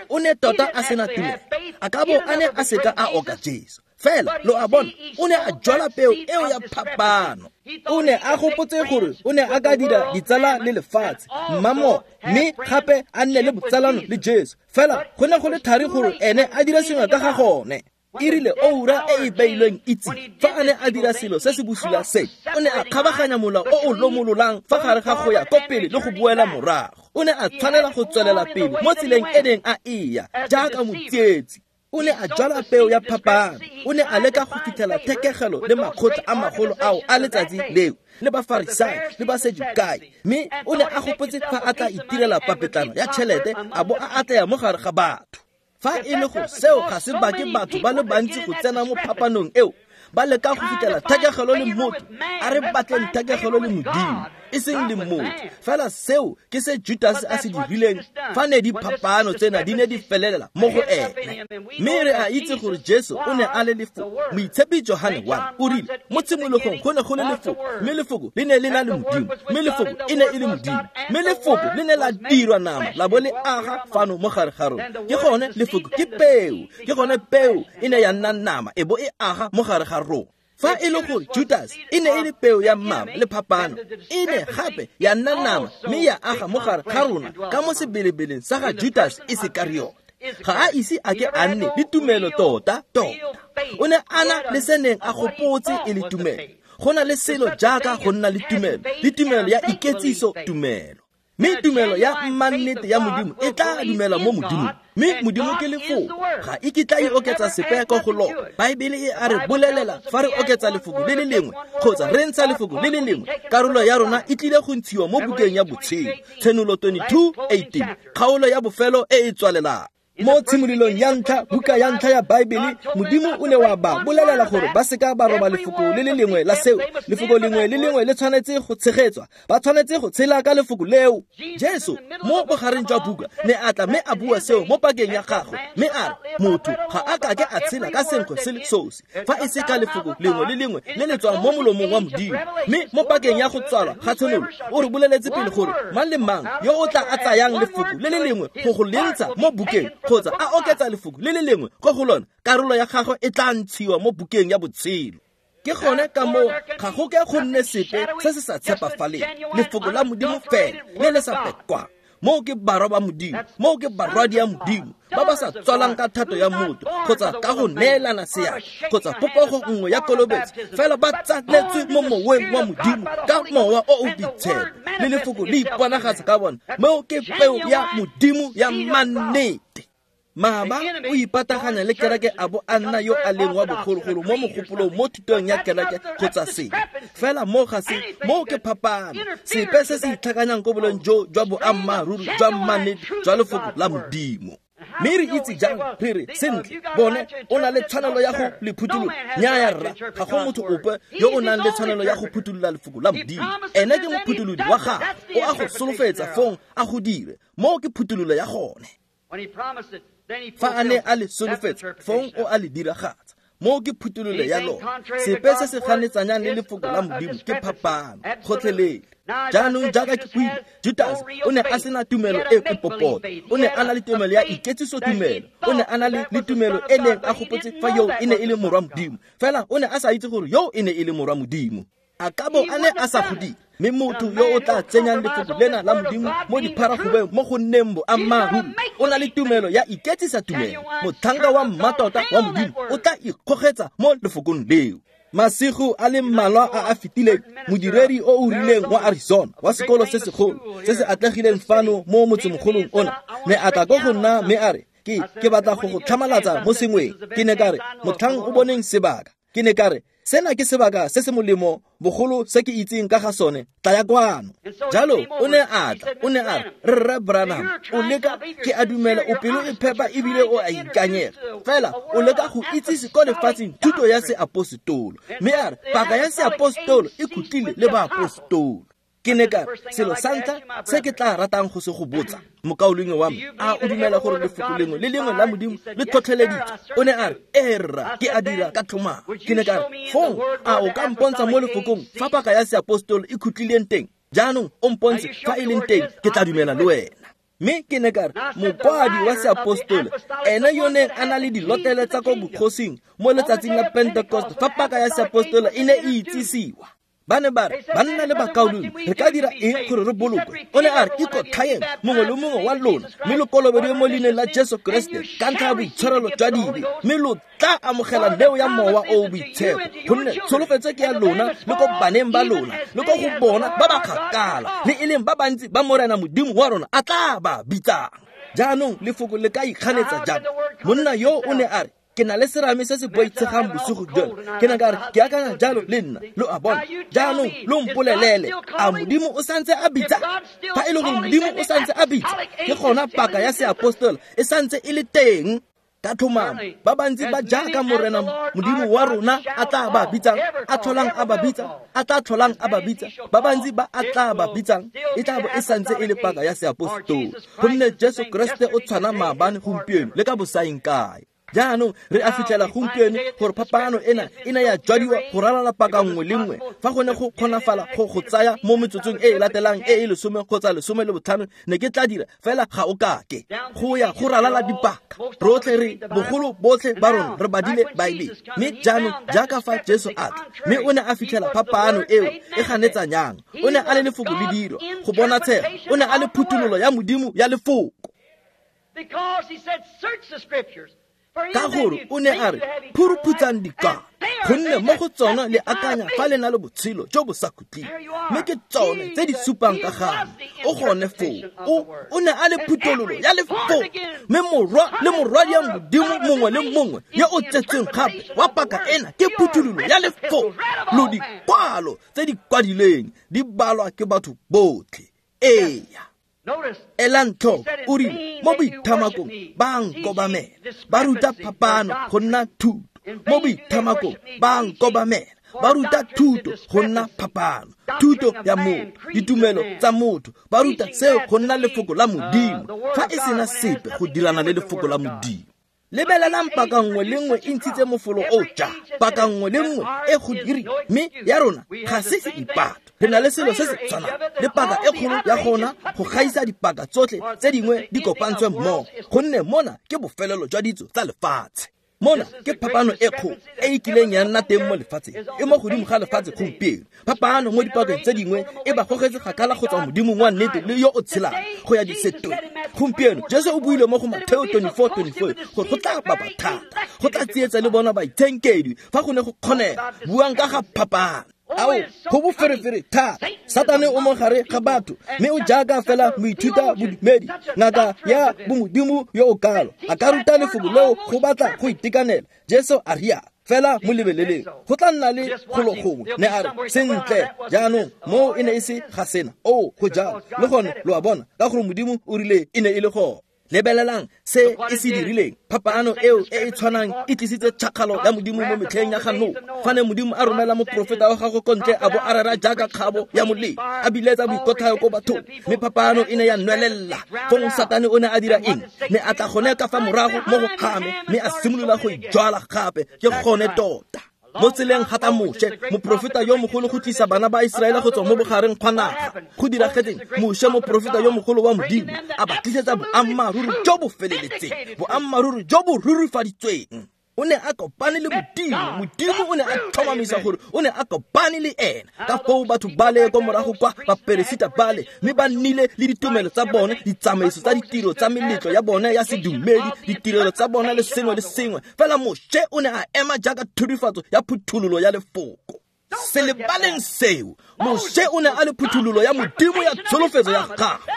o ne tota a sena tumelo, a ka bo a ne a seka a oka Jesu. Fela lo a bona, o ne a jwala peo eo ya phapano. O ne a gopotse gore o ne a ka dira ditsala le lefatshe mmamo, mme gape a nne le botsalano le Jesu. Fela go ne go le thari gore ene a dire sengwe ka ga gone. E rile oura e e beilweng itse fa a ne a dira selo se se bosula se, o ne a kgabaganya mola o o lomololang fa gare ga go ya ko pele le go boela morago. O ne a tshwanela go tswelela pele mo tseleng e neng a eya jaaka motsietsi. O ne a jwala peo ya phapano, o ne a leka go fitlhela thekegelo le makgotla a magolo ao a letsatsi leo, le Bafarisai le Basedukai, mme o ne a gopotse fa a tla itirela papetlana ya tšhelete a bo a atleya mo gare ga batho. Fa e le gore seo ga se bake batho ba le bantsi go tsena mo phapanong eo, ba leka go fitlhela thekegelo le motho, a re batleng thekegelo le Modimo, e seng le motho. Fela seo ke se Judase a se dirileng fa ne diphapano tsena di ne di felelela mo go ene. Mme re a itse gore Jesu o ne a le lefoko. Moitshepi Johane 1 o rile mo tshimologong go ne go le lefoko, mme lefoko le ne le na le Modimo, mme lefoko e ne e le Modimo, mme lefoko le ne la dirwa nama la bo le aga fano mo gare ga rona. Ke gone lefoko ke peo, ke gone peo e ne ya nna nama e bo e aga mo gare ga rona. Fa e le gore Judas e ne e le peo ya mmaba le phapano, e ne gape ya nna nama mme ya aga mo gare ga rona ka mo sebelebeleng sa ga Judas Isekariota. Ga a ise a ke a nne le tumelo tota tota. O ne a na le se neng a gopotse e le tumelo. Go na le selo jaaka go nna le tumelo, le tumelo ya iketsiso tumelo. Mme tumelo ya mmannete ya Modimo e tla dumela mo Modimong. Mme Modimo ke lefoko, ga e kitla e oketsa sepe ko go lona. Baebele e a re bolelela fa re oketsa lefoko le le lengwe kgotsa re ntsha lefoko le le lengwe, karolo ya rona e tlile go ntshiwa mo bukeng ya botshelo. Tshenolo 22:18, kgaolo ya bofelo e e tswalelang. Mo tshimololong ya ntlha, buka ya ntlha ya Baebele, Modimo o ne wa ba bolelela gore ba seka ba roba lefoko le le lengwe la seo. Lefoko lengwe le lengwe le tshwanetse go tshegetswa, ba tshwanetse go tshela ka lefoko leo. Jesu mo bogareng jwa buka ne a tla mme a bua seo mo pakeng ya gagwe, mme a re motho ga a kake a tshela ka senkgwe se le sosi fa e se ka lefoko lengwe le lengwe le le tswang mo molomong wa Modimo. Mme mo pakeng ya go tswalwa ga tshenolo o re boleletse pele gore mang le mang yo o tla a tsayang lefoko le le lengwe go go le ntsha mo bukeng kgotsa a oketsa lefoko le le lengwe ko go lona, karolo ya gagwe e tla ntshiwa mo bukeng ya botshelo. Ke gone ka moo ga go ke go nne sepe se se sa tshepafaleng, lefoko la Modimo fela le le sa pekwang. Moo ke barwa ba Modimo, moo ke barwadi ya Modimo ba ba sa tswalang ka thato ya motho kgotsa ka go neelana seatla kgotsa popego nngwe ya kolobetso, fela ba tsaletswe mo moweng wa Modimo ka mowa o o boitshepo, le lefoko le iponagatsa ka bona. Moo ke peo ya Modimo ya mannete. Mama o ipataganya le kereke a bo a nna yo a leng wa bogologolo mo mogopolong mo thutong ya kereke kgotsa sengwe. Fela mo ga se, moo ke phapano. Sepe se se itlhakanyang ko boleng jo jwa boammaaruri jwa mannete jwa lefoko la Modimo. Mme re itse jang re re sentle bone o na le tshwanelo ya go le phuthulola? Nnyaya rra, ga go motho ope yo o nang le tshwanelo ya go phuthulola lefoko la Modimo. Ene ke mophutholodi wa gagwe, o a go solofetsa fong a go dire. Moo ke phuthololo ya gone. Fa a ne a le solofetsa, fong o a le diragatsa. Moo ke phuthololo ya lona. Sepe se se ganetsanyang le lefoko la Modimo ke phapano gotlhelele. Jaanong jaaka ke buile, Judas o ne a sena tumelo e e popota. O ne a na le tumelo ya iketsiso tumelo. O ne a na le tumelo e neng a gopotse fa yo e ne e le morwa Modimo. Fela o ne a sa itse gore yo e ne e le morwa Modimo. A ka bo a ne a sa godile. Mme motho yo o tla tsenyang lefoko lena la Modimo mo dipharagobeng mo go nneng boammaaruri, o na le tumelo ya iketsisa tumelo. Motlhanka wa mmatota wa Modimo o tla ikgogetsa mo lefokong leo. Masigo a le mmalwa a a fetileng, modiredi o o rileng wa Arizona wa sekolo se segolo se se atlegileng fano mo motsemogolong ona ne a tla ko go nna mme a re, ke batla go go tlhamalatsa mo sengweng. Ke ne ka re, motlhang o boneng sebaka. Ke ne ka re, sena ke sebaka se se molemo bogolo se ke itseng ka ga sone, tla ya kwano. Jalo o ne a tla, o ne a re, Rre Branham, o leka, ke a dumela o pelo e phepa ebile o a ikanyega, fela o leka go itsise ko lefatsheng thuto ya seapostolo. Mme a re, paka ya seapostolo e khutlile le baapostolo. Ke ne ka re, selo sa ntlha se ke tla ratang go se go botsa, mokaulengwe wa me, a o dumela gore lefoko lengwe le lengwe la Modimo le tlhotlheleditswe? O ne a re, ee rra, ke a dira ka tlhomamo. Ke ne ka re, fong a o ka mpontsha mo lefokong fa paka ya seapostolo e khutlileng teng? Jaanong o mpontshe fa e leng teng, ke tla dumela le wena. Mme ke ne ka re, mokwadi wa seapostolo, ene yo neng a na le dilotlele tsa ko bogosing mo letsatsing la Pentecost fa paka ya seapostolo e ne e itsisiwa. Ba ne ba re, banna le bakaulengwe, re ka dira eng gore re bolokwe? O ne a re, ikotlhaeng mongwe le mongwe wa lona, mme lo kolobediwe mo leineng la Jesu Kriste ka ntlha ya boitshwarelo jwa dibe, mme lo tla amogela neo ya mowa o o boitshepo, gonne tsholofetso ke ya lona le ko baneng ba lona le ko go bona ba ba kgakala, le e leng ba bantsi ba Morena Modimo wa rona a tla ba bitsang. Jaanong lefoko le ka ikganetsa jang? Monna yo o ne a re, ke na le serame se se boitshegang bosigo jono. Ke ne ka re, ke akanya jalo le nna, lo a bona. Jaanong lo mpolelele, a Modimo o santse a bitsa? Fa e le gore Modimo o santse a bitsa, ke gona paka ya seapostolo e santse e le teng. Ka tlhomamo, ba bantsi ba jaaka Morena Modimo wa rona a tla ba bitsang, a tlholang a ba bitsa, a tla tlholang a ba bitsa, ba bantsi ba a tla ba bitsang, e tla bo e santse e le paka ya seapostolo. Gonne Jesu Kriste o tshwana maabane, gompieno le ka bosaeng kae. Jaanong re a fitlhela gompieno gore phapano ena e ne ya jwadiwa go ralala paka nngwe le nngwe. Fa go ne go kgonafala go go tsaya mo metsotsong e e latelang e e 10 kgotsa 15, ne ke tla dira, fela ga o kake. Go ya go ralala dipaka, rotlhe re bogolo botlhe ba rona re badile Baebele. Mme jaanong jaaka fa Jesu a tla, mme o ne a fitlhela phapano eo e ganetsanyang. O ne a le lefoko le dirwa go bonatshega, o ne a le phuthololo ya Modimo ya lefoko. Because he said, search the scriptures. Ka gore o ne a re phuruphutsang dikwalo, gonne mo go tsona le akanya fa le na le botshelo jo bo sa khutleng, mme ke tsone tse di supang ka ga me. O gone foo, o ne a le phuthololo ya lefoko, mme morwa le morwadi ya Modimo mongwe le mongwe yo o tsetsweng gape wa paka ena ke phuthololo ya lefoko. Lo dikwalo tse di kwadilweng di balwa ke batho botlhe. Eya. Elang tlhoko, o rile mo boithamakong ba nkobamela, ba ruta phapano go nna thuto. Mo boithamakong ba nkobamela, ba ruta thuto go nna phapano, thuto ya motho, ditumelo tsa motho, ba ruta seo go nna lefoko la Modimo, fa e sena sepe go dirana le lefoko la Modimo. Lebelelang paka nngwe le nngwe e ntshitse mofolo o ja, paka nngwe le nngwe e go diri, mme ya rona ga se se ipato. Re na le selo se se tshwanang le paka e kgolo ya gona go gaisa dipaka tsotlhe tse dingwe di kopantswe mmogo, gonne mona ke bofelelo jwa ditso tsa lefatshe. Mona ke phapano e kgolo e e kileng ya nna teng mo lefatsheng, e mo godimo ga lefatshe gompieno. Phapano mo dipakeng tse dingwe e ba gogetse kgakala go tswa Modimong wa nnete le yo o tshelang go ya disetong. Gompieno Jesu o buile mo go Mateo 24:24 gore go tla baba thata, go tla tsietsa le bona baitshenkedwi fa go ne go kgonega. Buang ka ga phapano. Ao, go boferefere thata. Satane o mo gare ga batho, mme o jaaka fela moithuta bodumedi, ngaka ya bomodimo yo o kalo, a ka ruta lefoko leo go batla go itekanela. Jesu a rialo, fela mo lebeleleng, go tla nna le golo gongwe. Ne a re, sentle, jaanong moo e ne e se ga sena. O, go jalo le gone, lo a bona, ka gore Modimo o rile e ne e le gone. Lebelelang se e se dirileng. Phapano eo e e tshwanang e tlisitse tšhakgalo ya Modimo mo metlheng ya ga Noa, fa ne Modimo a romela moprofeta wa gagwe ko ntle a bo a rera jaaka kgabo ya molelo, a biletsa boikotlhayo ko bathong, mme phapano e ne ya nwelela. Fong Satane o ne a dira eng? Ne a tla gone ka fa morago mo go Hame, mme a simolola go ijwala gape. Ke gone tota. Mo tseleng ga tla Moshe, moprofeta yo mogolo, go tlisa bana ba Iseraele go tswa mo bogareng gwa naga. Go diragetseng? Moshe, moprofeta yo mogolo wa Modimo, a ba tlisetsa boammaaruri jo bo feleletseng, boammaaruri jo bo rurifaditsweng. O ne a kopane le Modimo. Modimo o ne a tlhomamisa gore o ne a kopane le ena. Ka foo batho bale ko morago kwa baperesita bale, mme ba nnile le ditumelo tsa bone, ditsamaiso tsa ditiro tsa meletlo ya bone ya sedumedi, ditirelo tsa bone le sengwe le sengwe. Fela Moshe o ne a ema jaaka thurifatso ya phuthololo ya lefoko. Se lebaleng seo. Moshe o ne a le phuthololo ya Modimo ya tsholofetso ya gagwe.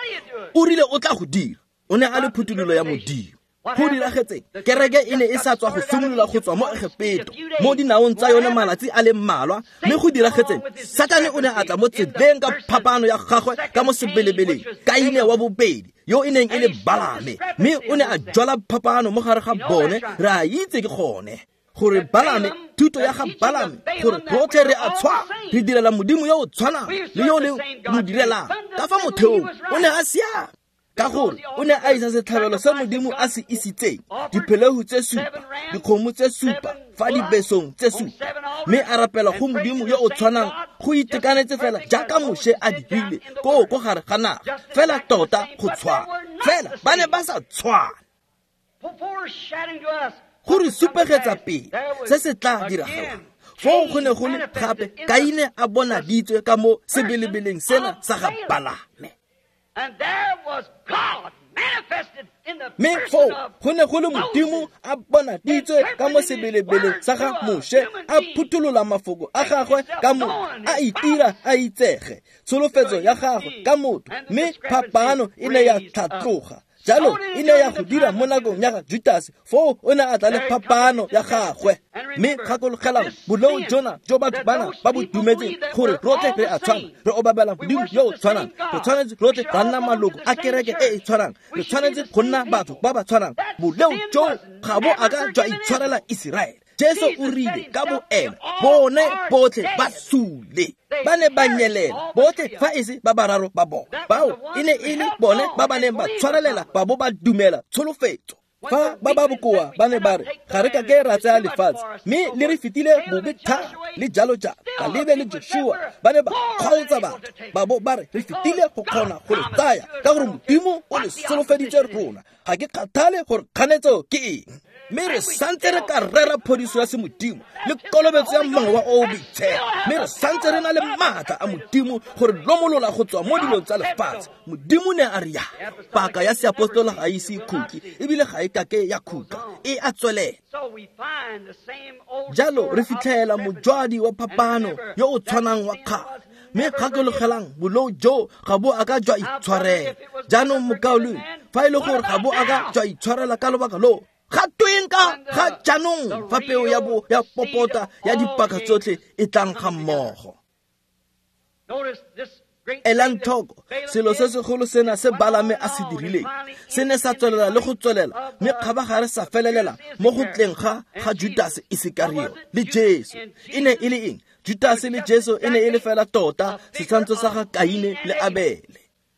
O rile o tla go dira. O ne a le phuthololo ya Modimo. Go diragetseng? Kereke e ne e sa tswa go simolola go tswa mo Egepeto mo dinaong tsa yone malatsi a le mmalwa, mme go diragetseng? Satane o ne a tla mo tseleng ka phapano ya gagwe ka mo sebelebeleng, Kaine wa bobedi, yo e neng e le Balame, mme o ne a jwala phapano mo gare ga bone. Re a itse ke gone gore Balame, thuto ya ga Balame, gore rotlhe re a tshwana, re direla Modimo yo o tshwanang le yo le mo direlang. Ka fa motheong o ne a siame, ka gore o ne a isa setlhabelo se Modimo a se isitseng, dipheleu tse supa, dikgomo tse supa fa dibesong tse supa, mme a rapela go Modimo yo o tshwanang go itekanetse fela jaaka Moshe a dirile koo ko gare ga naga, fela tota go tshwana, fela ba ne ba sa tshwana. Go re supegetsa pele se se tla diragalang. Foo go ne go le gape Kaine a bonaditswe ka mo sebelebeleng sena sa ga Balame. Mme foo go ne go le Modimo a bonaditswe ka mo sebelebeleng sa ga Moshe, a phutholola mafoko a gagwe ka motho, a itira a itsege tsholofetso ya gagwe ka motho, mme phapano e ne ya tlhatloga. Jalo e ne ya go dira mo nakong ya ga Judase, foo o ne a tla le phapano ya gagwe. Mme gakologelang boleo jona jo batho bana ba bo dumetseng, gore rotlhe re a tshwana, re obamela Modimo yo o tshwanang, re tshwanetse rotlhe ra nna maloko a kereke e e tshwanang, re tshwanetse go nna batho ba ba tshwanang. Boleo jo ga bo a ka jwa itshwarela Iseraele. Jesu o rile ka bo ena, bone botlhe ba sule, ba ne ba nyelela botlhe fa e se ba bararo ba bone. Bao e ne e le bone ba ba neng ba tshwarelela ba bo ba dumela tsholofetso. Fa ba ba bokoa ba ne ba re, ga re ka ke ra tsaya lefatshe, mme le re fetile bobe thata, le jalo jalo. Kalebe le Joshua ba ne ba kgaotsa batho ba bo ba re, re fetile go kgona go le tsaya, ka gore Modimo o le solofeditse rona. Ga ke kgathale gore kganetso ke eng. Mme re santse re ka rera phodiso ya semodimo le kolobetso ya Mowa o o Boitshepo, mme re santse re na le maatla a Modimo gore lomolola go tswa mo dilong tsa lefatshe. Modimo ne a re ya paka ya seapostola ga ise e khutle, ebile ga e kake ya khutla, e a tswelela. Jalo re fitlhela mojwadi wa phapano yo o tshwanang wa kgale, mme gakologelang bolou jo ga bo a ka jwa itshwarela. Jaanong mokaulengwe, fa e le gore ga bo a ka jwa itshwarela ka lobaka loo, ga tweng ka ga jaanong fa peo ya bo ya popota ya dipaka tsotlhe e tlang ga mmogo? Elang tlhoko selo se segolo sena se Balame a se dirileng, se ne sa tswelela le go tswelela, mme kgabagare sa felelela mo go tleng ga Judase Isekario le Jesu. E ne e le eng? Judase le Jesu e ne e le fela tota setshwantsho sa ga Kaine le Abele.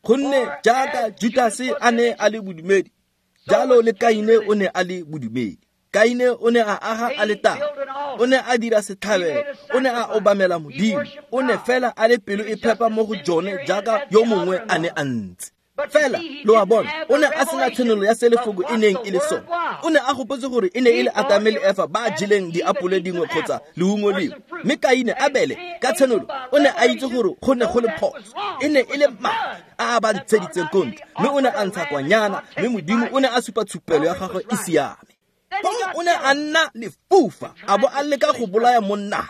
Gonne jaaka Judase a ne a le bodumedi, jalo le Kaine o ne a le bodumedi. Kaine o ne a aga aletare, o ne a dira setlhabelo, o ne a obamela Modimo, o ne fela a le pelo e phepa mo go jone jaaka yo mongwe a ne a ntse. Fela lo a bona, o ne a sena tshenolo ya se lefoko e neng e le sone. O ne a gopotse gore e ne e le Atame le Efa ba jeleng diapole dingwe kgotsa leungo lengwe. Mme Kaine Abele ka tshenolo o ne a itse gore go ne go le phoso, e ne e le madi a a ba ntsheditseng ko ntle, mme o ne a ntsha kwanyana, mme Modimo o ne a supa tshupelo ya gagwe e siame. Fong o ne a nna lefufa a bo a leka go bolaya monna,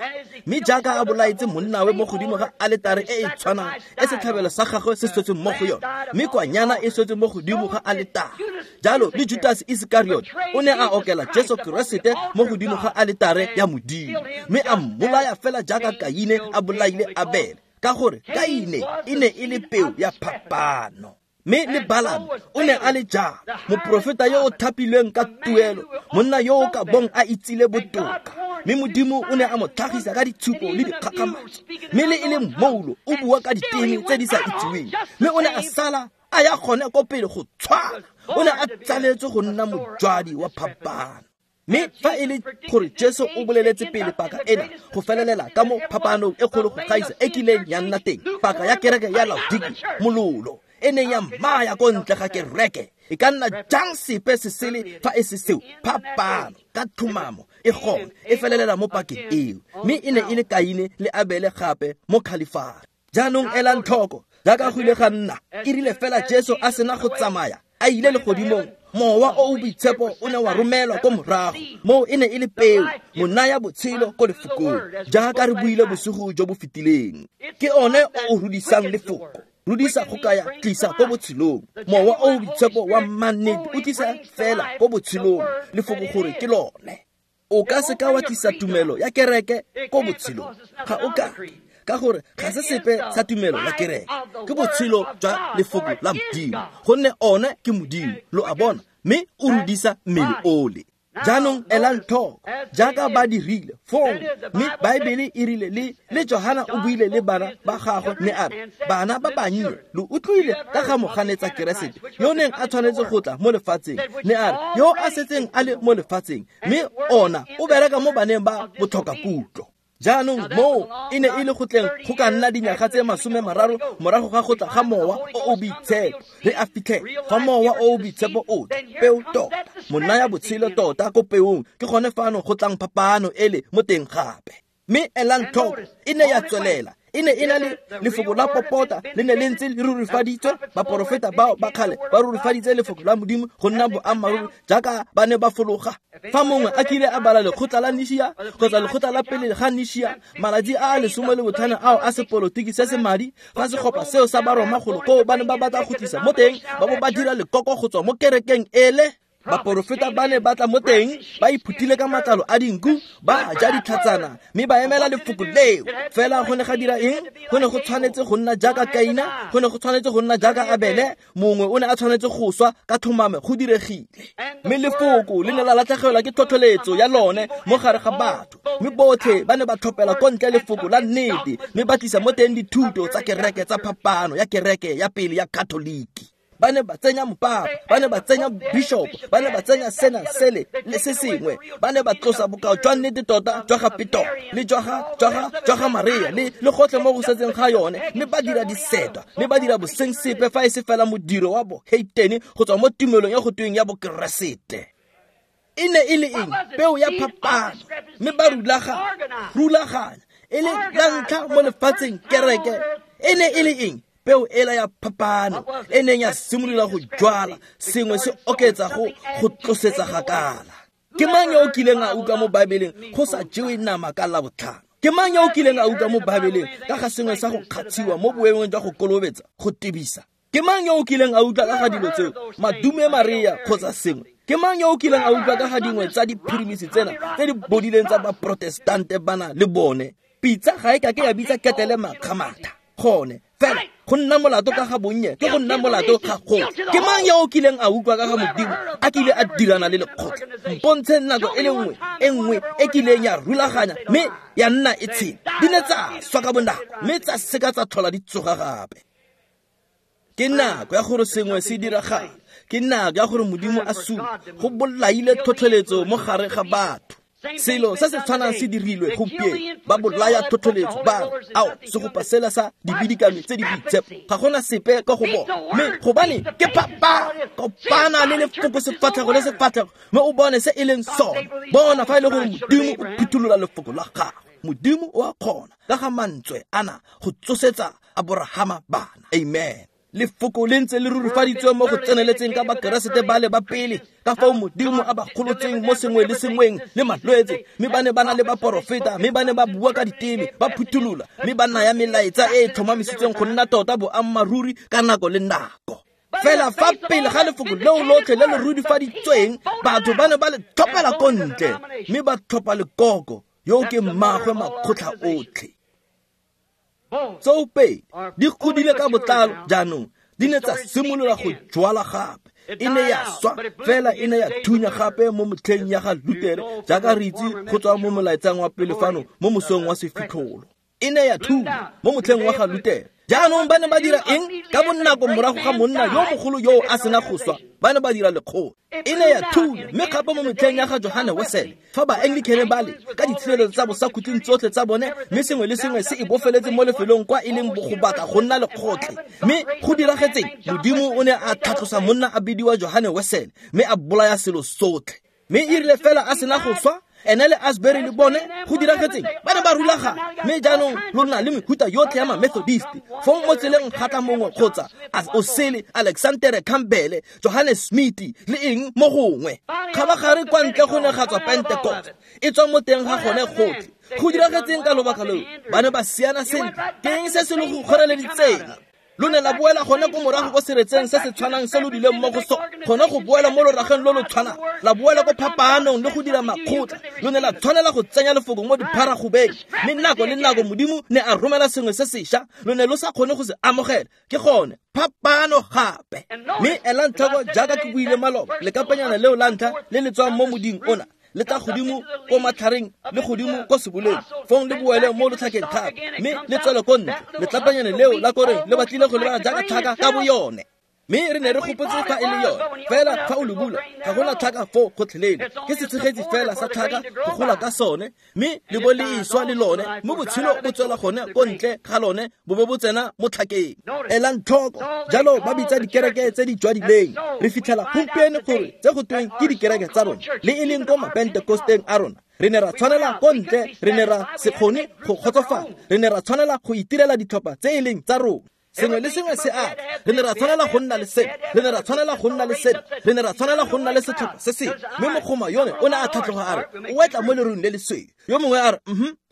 mme jaaka a bolaetse monnawe mo godimo ga aletare e e tshwanang e setlhabelo sa gagwe se swetseng mo go yone, mme kwanyana e swetse mo godimo ga aletare, jalo le Judas Iskariot o ne a okela Jesu Keresete mo godimo ga aletare ya Modimo, mme a mmolaya fela jaaka Kaine a bolaile Abele, ka gore Kaine e ne e le peo ya phapano. Mme le Balame o ne a le jalo, moprofeta yo o thapilweng ka tuelo, monna yo o ka bong a itsile botoka, mme Modimo o ne a mo tlhagisa ka ditshupo le dikgakgamatso, mme le e le moulo o bua ka diteme tse di sa itsiweng, mme o ne a sala a ya gone ko pele go tshwana. O ne a tsaletswe go nna mojwadi wa phapano. Mme fa e le gore Jesu o boleletse pele paka ena go felelela ka mo phapanong e kgolo go gaisa e kileng ya nna teng, paka ya kereke ya Laodikea, mololo e neng ya mmaya ko ntle ga kereke, e ka nna jang sepe se sele fa e se seo? Phapano ka tlhomamo e gone e felelela mo pakeng eo, mme e ne e le Kaine le Abele gape mo Khalifari. Jaanong elang tlhoko jaaka go ile ga nna, e rile fela Jesu a sena go tsamaya a ile legodimong, Mowa o o Boitshepo o ne wa romelwa ko morago. Moo e ne e le peo, monaya botshelo ko lefokong, jaaka re buile bosigo jo bo fetileng. Ke one o o rudisang lefoko. Rudisa go kaya tlisa ko botshelong. Mowa o o Boitshepo wa mannete o tlisa fela ko botshelong lefoko gore ke lone. O ka se ka wa tlisa tumelo ya kereke ko botshelong, ga o ka, ka gore ga se sepe sa tumelo ya kereke, ke botshelo jwa lefoko la Modimo, gonne one ke Modimo, lo a bona, mme o rudisa mmele ole. Jaanong elang tlhoko jaaka ba dirile fong, mme Baebele e rile le Johana o buile le bana ba gagwe mme a re, bana ba bannye, lo utlwile ka ga moganetsa Keresete yo neng a tshwanetse go tla mo lefatsheng, ne a re yo a setseng a le mo lefatsheng, mme ona o bereka mo baneng ba botlhokakutlo. Jaanong moo e ne e le go tleng go ka nna dinyaga tse 30 morago ga go tla ga Mowa o o Boitshepo. Re a fitlhela fa Mowa o o Boitshepo o tla, peo tota, monaya botshelo tota ko peong, ke gone fano go tlang phapano ele mo teng gape. Mme elang tlhoko, e ne ya tswelela, e ne e na le lefoko la popota, le ne le ntse le rurifaditswe. Baporofeta bao ba kgale ba rurifaditse lefoko la Modimo go nna boammaaruri jaaka ba ne ba fologa. Fa mongwe a kile a bala lekgotla la Nishia kgotsa lekgotla la pele ga Nishia, malatsi a a 15 ao a sepolotiki se se madi, fa segopa seo sa Baroma golo koo ba ne ba batla go tlisa mo teng, ba bo ba dira lekoko go tswa mo kerekeng ele. Baporofeta ba ne ba tla mo teng, ba iphuthile ka matlalo a dinku, ba ja ditlhatsana, mme ba emela lefoko leo. Fela go ne ga dira eng? Go ne go tshwanetse go nna jaaka Kaina, go ne go tshwanetse go nna jaaka Abele, mongwe o ne a tshwanetse go swa ka tlhomame, go diregile. Mme lefoko le ne la latlhegelwa ke tlhotlheletso ya lone mo gare ga batho, mme botlhe ba ne ba tlhopela ko ntle lefoko la nnete, mme ba tlisa mo teng dithuto tsa kereke tsa phapano ya kereke ya pele ya Katoliki. Ba ne ba tsenya mopapa, ba ne ba tsenya bishop, ba ne ba tsenya sena sele le se sengwe, ba ne ba tlosa bokao jwa nnete tota jwa ga Peter le jwa ga Maria le gotlhe mo go setseng ga yone, mme ba dira disetwa, mme ba dira boseng sepe fa e se fela modiro wa boheitene go tswa mo tumelong ya go tweng ya bokeresete. E ne e le eng? Peo ya phapano. Mme ba rulaganya e le la ntlha mo lefatsheng kereke. E ne e le eng? Peo ela ya phapano e neng ya simolola go jwala sengwe se oketsa go tlosetsa gakala. Ke mang yo o kileng a utlwa mo Baebeleng go sa jewe nama ka Labotlhano? Ke mang yo o kileng a utlwa mo Baebeleng ka ga sengwe sa go kgatshiwa mo boemong jwa go kolobetsa, go tebisa? Ke mang yo o kileng a utlwa ka ga dilo tseo, Madume Maria kgotsa sengwe? Ke mang yo o kileng a utlwa ka ga dingwe tsa diphirimisi tsena tse di bodileng tsa baprotestante bana le bone? Pitsa ga e ka ke ya bitsa ketele makgamatha. Gone fela go nna molato ka ga bonnye ke go nna molato ga go. Ke mang yo o kileng a utlwa ka ga Modimo a kile a dirana le lekgotla? Mpontshe nako e le nngwe e nngwe e kileng ya rulaganya mme ya nna e tshela. Di ne tsa swa ka bonako mme tsa seka tsa tlhola di tsoga gape. Ke nako ya gore sengwe se diragale. Ke nako ya gore Modimo a supe go bolaile tlhotlheletso mo gare ga batho. Selo se se tshwanang se dirilwe gompieno. Ba bolaya tlhotlheletso, ba re, ao, segopa sela sa dibidikami tse di boitshepo, ga gona sepe ka go bona. Mme gobane ke phapano, kopana le lefoko sefatlhego le sefatlhego, mme o bone se e leng sone. Bona fa e le gore Modimo o phuthulola lefoko la gagwe. Modimo o a kgona ka ga mantswe ana go tsosetsa Aborahama bana. Amen. Lefoko le ntse le rurifaditswe mo go tseneletseng ka Bakeresete ba le ba pele, ka fao Modimo a ba golotseng mo sengwe le sengweng le malwetse, mme ba ne ba na le baporofeta, mme ba ne ba bua ka diteme, ba phuthulola, mme ba naya melaetsa e e tlhomamisitsweng go nna tota boammaaruri ka nako le nako. Fela fa pele ga lefoko leo lotlhe le le rurifaditsweng, batho ba ne ba le tlhopela ko ntle, mme ba tlhopha lekoko, yo ke mmaagwe makgotla otlhe. Tsoopedi di godile ka botlalo jaanong, di ne tsa simolola go jwala gape. E ne ya swa fela e ne ya thunya gape mo motlheng ya ga Lutere, jaaka re itse go tswa mo molaetsang wa pele fano mo mosong wa sefitlholo. E ne ya thunya mo motlheng wa ga Lutere. Jaanong ba ne ba dira eng? Ka bonako morago ga monna yo mogolo yo a sena go swa, ba ne ba dira lekgolo. E ne ya thunya mme gape mo metlheng ya ga Johane Wesele, fa ba-Anglicane ba le ka ditshireletso tsa bosakhutleng tsotlhe tsa bone, mme sengwe le sengwe se e bofeletse mo lefelong kwa e leng go batla go nna lekgotlhe. Mme go diragetseng? Modimo o ne a tlhatlosa monna a bidiwa Johane Wesele, mme a bolaya selo sotlhe. Mme e rile fela a sena go swa, ene le Asbury le bone, go diragetseng? Ba ne ba rulaganya. Mme jaanong lo na le mehuta yotlhe ya ma-Methodist. Fong mo tseleng ga tla mongwe kgotsa o sele, Alexander Campbell, Johannes Smith, le eng mo gongwe. Kgabagare kwa ntle go ne ga tswa Pentecost, e tswa mo teng ga gone gotlhe. Go diragetseng ka lobaka leo? Ba ne ba siana sentle. Ke eng se se lo go kgoreleditseng? Lo ne la boela gone ko morago ko seretseng se se tshwanang se lo dileng mo go sone, gone go boela mo lorageng lo lo tshwanang, la boela ko phapaanong le go dira makgotla. Lo ne la tshwanela go tsenya lefoko mo dipharagobeng, mme nako le nako Modimo ne a romela sengwe se sešwa, lo ne lo sa kgone go se amogela. Ke gone phapano gape. Mme elang tlhoko, jaaka ke buile maloba, lekapanyana leo la ntlha le le tswang mo moding ona le tla godimo ko matlhareng le godimo ko seboleng, fong le boele mo lotlhakeng gape, mme le tswele ko ntle. Letlapanyane leo la koreng le batlile go lebala jaaka tlhaka ka boyone. Mme re ne re gopotse fa e le yone, fela fa o le bula ga gona tlhaka foo gotlhelele. Ke setshegetsi fela sa tlhaka go gola ka sone, mme le bo le iswa le lone, mme botshelo bo tswela gone ko ntle ga lone, bo bo bo tsena mo tlhakeng. Elang tlhoko, jalo ba bitsa dikereke tse di jwadileng. Re fitlhela gompieno gore tse go tweng ke dikereke tsa rona, le e leng ko mapentekosteng a rona, re ne ra tshwanela ko ntle, re ne ra se kgone go kgotsofala, re ne ra tshwanela go itirela ditlhopha tse e leng tsa rona. Sengwe le sengwe se a re ne ra tshwanela go nna le seno, re ne ra tshwanela go nna le seno, re ne ra tshwanela go nna le setlhopha se sengwe. Mme mogoma yone o ne a tlhatloga a re, o etla mo lerung le lesweu. Yo mongwe a re,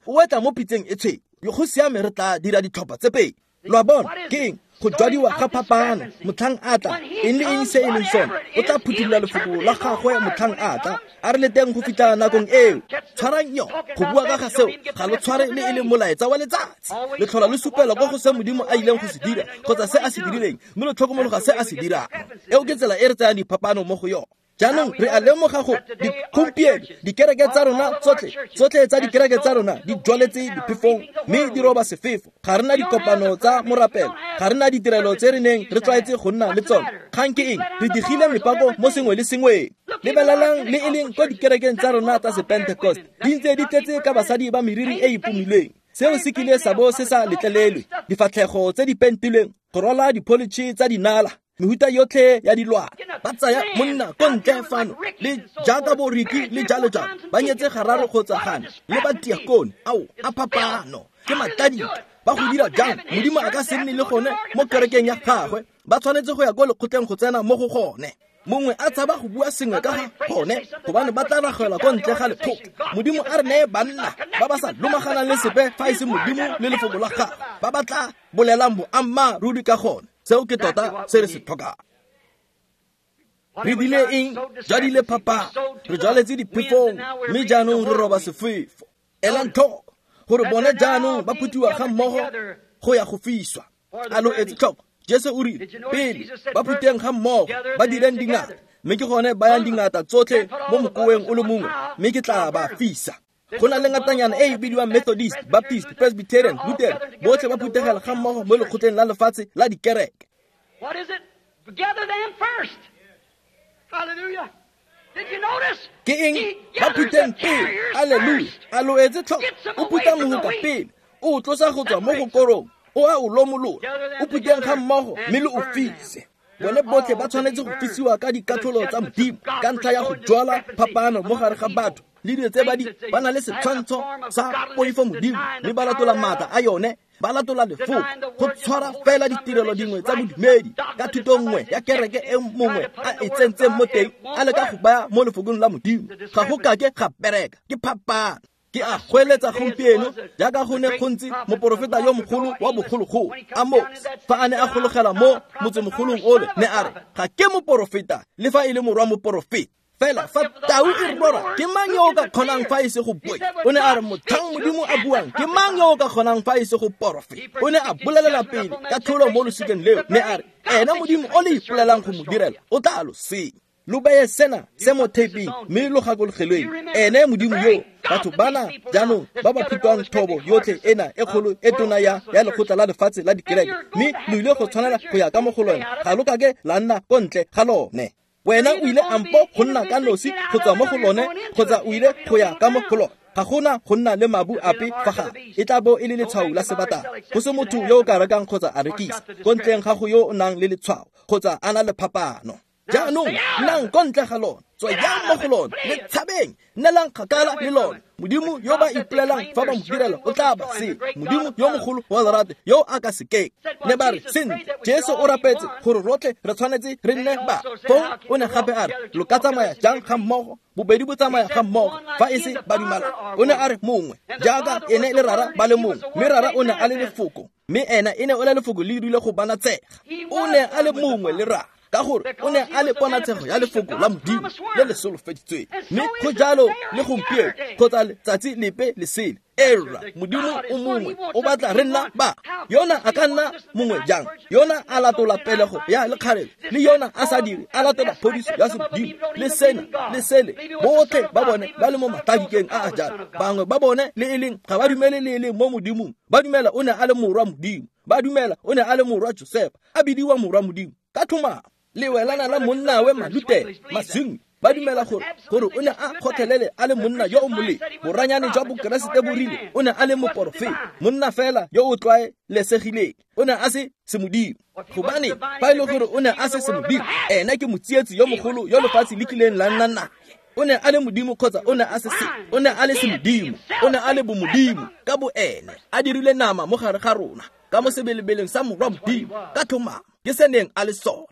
o etla mo pitseng e tshweu. Go siame, re tla dira ditlhopha tse pedi. Lo a bona, ke eng? Go jwadiwa ga phapano. Motlhang a tla, eng le eng se e leng sone, o tla phuthulola lefoko la gagwe motlhang a tla. A re leteng go fitlha nakong eo. Tshwarang yo, go bua ka ga seo, ga lo tshware le e leng molaetsa wa letsatsi. Le tlhola lo supela ko go se Modimo a ileng go se dira, kgotsa se a se dirileng, mme lo tlhokomologa se a se dirang. Eo ke tsela e re tsayang diphapano mo go yone. Jaanong re a lemoga gore gompieno dikereke tsa rona tsotlhe, tsotlhe tsa dikereke tsa rona di jwaletse diphefong mme di roba sefefo. Ga re na dikopano tsa morapelo, ga re na ditirelo tse re neng re tlwaetse go nna le tsone. Kgang ke eng? Re digile mepako mo sengwe le sengweng. Lebelelang le e leng ko dikerekeng tsa rona tsa sepentecost, di ntse di tletse ka basadi ba meriri e e pomilweng. Seo se kile sa bo se sa letlelelwe, difatlhego tse di pentilweng, go rwala dipholitšhe tsa dinala. Mehuta yotlhe ya dilwana ba tsaya monna ko ntle fano le jaaka boriki le jalo jalo ba nyetse gararo kgotsa gane le ba tiakone ao a phapano ke matladika ba go dira jang modimo a ka se nne le gone mo kerekeng ya gagwe ba tshwanetse go ya ko lekgotleng go tsena mo go gone mongwe a tshaba go bua sengwe ka ga gone gobane ba tla ragela ko ntle ga lekgotla modimo a re neye banna ba ba sa lomaganang le sepe fa e se modimo le lefoko la gagwe ba ba tla bolelang boammaaruri ka gone seo ke tota se re se tlhokang re dile eng jadile phapang re jaletse diphefong mme jaanong re roba sefefo elang tlhoko gore bone jaanong ba phuthiwa ga mmogo go ya go fiswa a lo etse tlhoko Jesu o rile pele ba phuteng ga mmogo ba direng dingata mme ke gone bayang dingata tsotlhe mo mokoweng o le mongwe mme ke tla ba fisa go na le ngatanyana e e bidiwang Methodist, Baptist, Presbyterian, Lutheran botlhe ba phuthegela ga mmogo mo lekgotleng la lefatshe la dikereke. What is it? Gather them first. Hallelujah. Did you notice? Ke eng ba phutheng pele alleluia a lo etse tlhoko o phutha mohoka pele o tlosa go tswa mo go korong o a o lomolola o phutheng ga mmogo mme le o fise bone botlhe ba tshwanetse go fisiwa ka dikatlholo tsa modimo ka ntlha ya go jwala phapano mo gare ga batho le dilo tse ba na le setshwantsho sa poifo modimo mme ba latola maatla a yone ba latola lefoko go tshwara fela ditirelo dingwe tsa bodumedi ka thuto nngwe ya kereke e mongwe a e tsentseng mo teng a leka go baya mo lefokong la modimo ga go kake ga bereka ke phapano ke a goeletsa gompieno jaaka go ne go ntse moporofeta yo mogolo wa bogologolo Amos fa a ne a gologela mo motsemogolong ole ne a re ga ke moporofeta le fa e le morwa moporofeta fela fa tau e rora ke mang yo o ka kgonang fa e se go bue o ne a re motlhang modimo a buang ke mang yo o ka kgonang fa e se go porofeta o ne a bolelela pele ka tlholo mo losikeng leo ne a re ena modimo o le ipolelang go mo direla o tla lo senya lo beye sena se mo thapeng mme lo gakologelweng ene modimo yo batho bana jaanong ba ba phutwang thobo yotlhe ena e kgolo e tona ya lekgotla la lefatshe la dikereke mme lo ile go tshwanela go ya ka mo go lone ga lo kake la nna ko ntle ga lone wena o ile ampo go nna ka nosi go tswa mo go lone kgotsa o ile go ya ka mo go lone ga gona go nna le mabu ape fa gare e tla bo e le letshwao la sebatana go se motho yo o ka rekang kgotsa a rekisa ko ntleng ga go yo o nang le letshwao kgotsa a na le phapano jaanong nnang ko ntle ga lone tswayang mo go lone le tshabeng nnelang kgakala le lone modimo yo ba ipolelang fa ba mo direla o tla ba se modimo yo mogolo wa lerato yo a ka sekeng ne ba re sentle Jesu o rapetse gore rotlhe re tshwanetse re nne ba foo o ne gape a re lo ka tsamaya jang ga mmogo bobedi bo tsamaya ga mmogo fa e se ba dumala o ne a re mongwe jaaka ene le rara ba le mongwe mme rara o ne a le lefoko mme ena e ne o le lefoko le dirile go bana tsega o ne a le mongwe le rara ka gore o ne a le ponatshego ya lefoko la modimo le le solofeditsweng mme go jalo le gompieno kgotsa letsatsi lepe le sele era modimo o mongwe o batla re nna ba yona a ka nna mongwe jang yona a latola pelego ya lekgarebe le yona a sa dire a latola phodiso ya semodimo le sena le sele botlhe ba bone ba le mo matladikeng a a jalo bangwe ba bone le e leng ga ba dumele le e leng mo modimong ba dumela o ne a le morwa modimo ba dumela o ne a le morwa Josefa a bidiwa morwa modimo ka tlhomamo le welana la monnawe Malutele Maswingwi ba dumela gore o ne a kgotlhelele a le monna yo o molemo boranyane jwa bokeresete bo rile o ne a le moporofeta monna fela yo o tlwaelesegileng o ne a se semodimo gobane fa e le gore o ne a se semodimo ena ke motsietsi yo mogolo yo lefatshe le kileng la nna naye o ne a le modimo kgotsa o ne a se o ne a le semodimo o ne a le bomodimo ka bo ene a dirile nama mo gare ga rona ka mo sebelebeleng sa morwa modimo ka tlhomamo ke se neng a le sone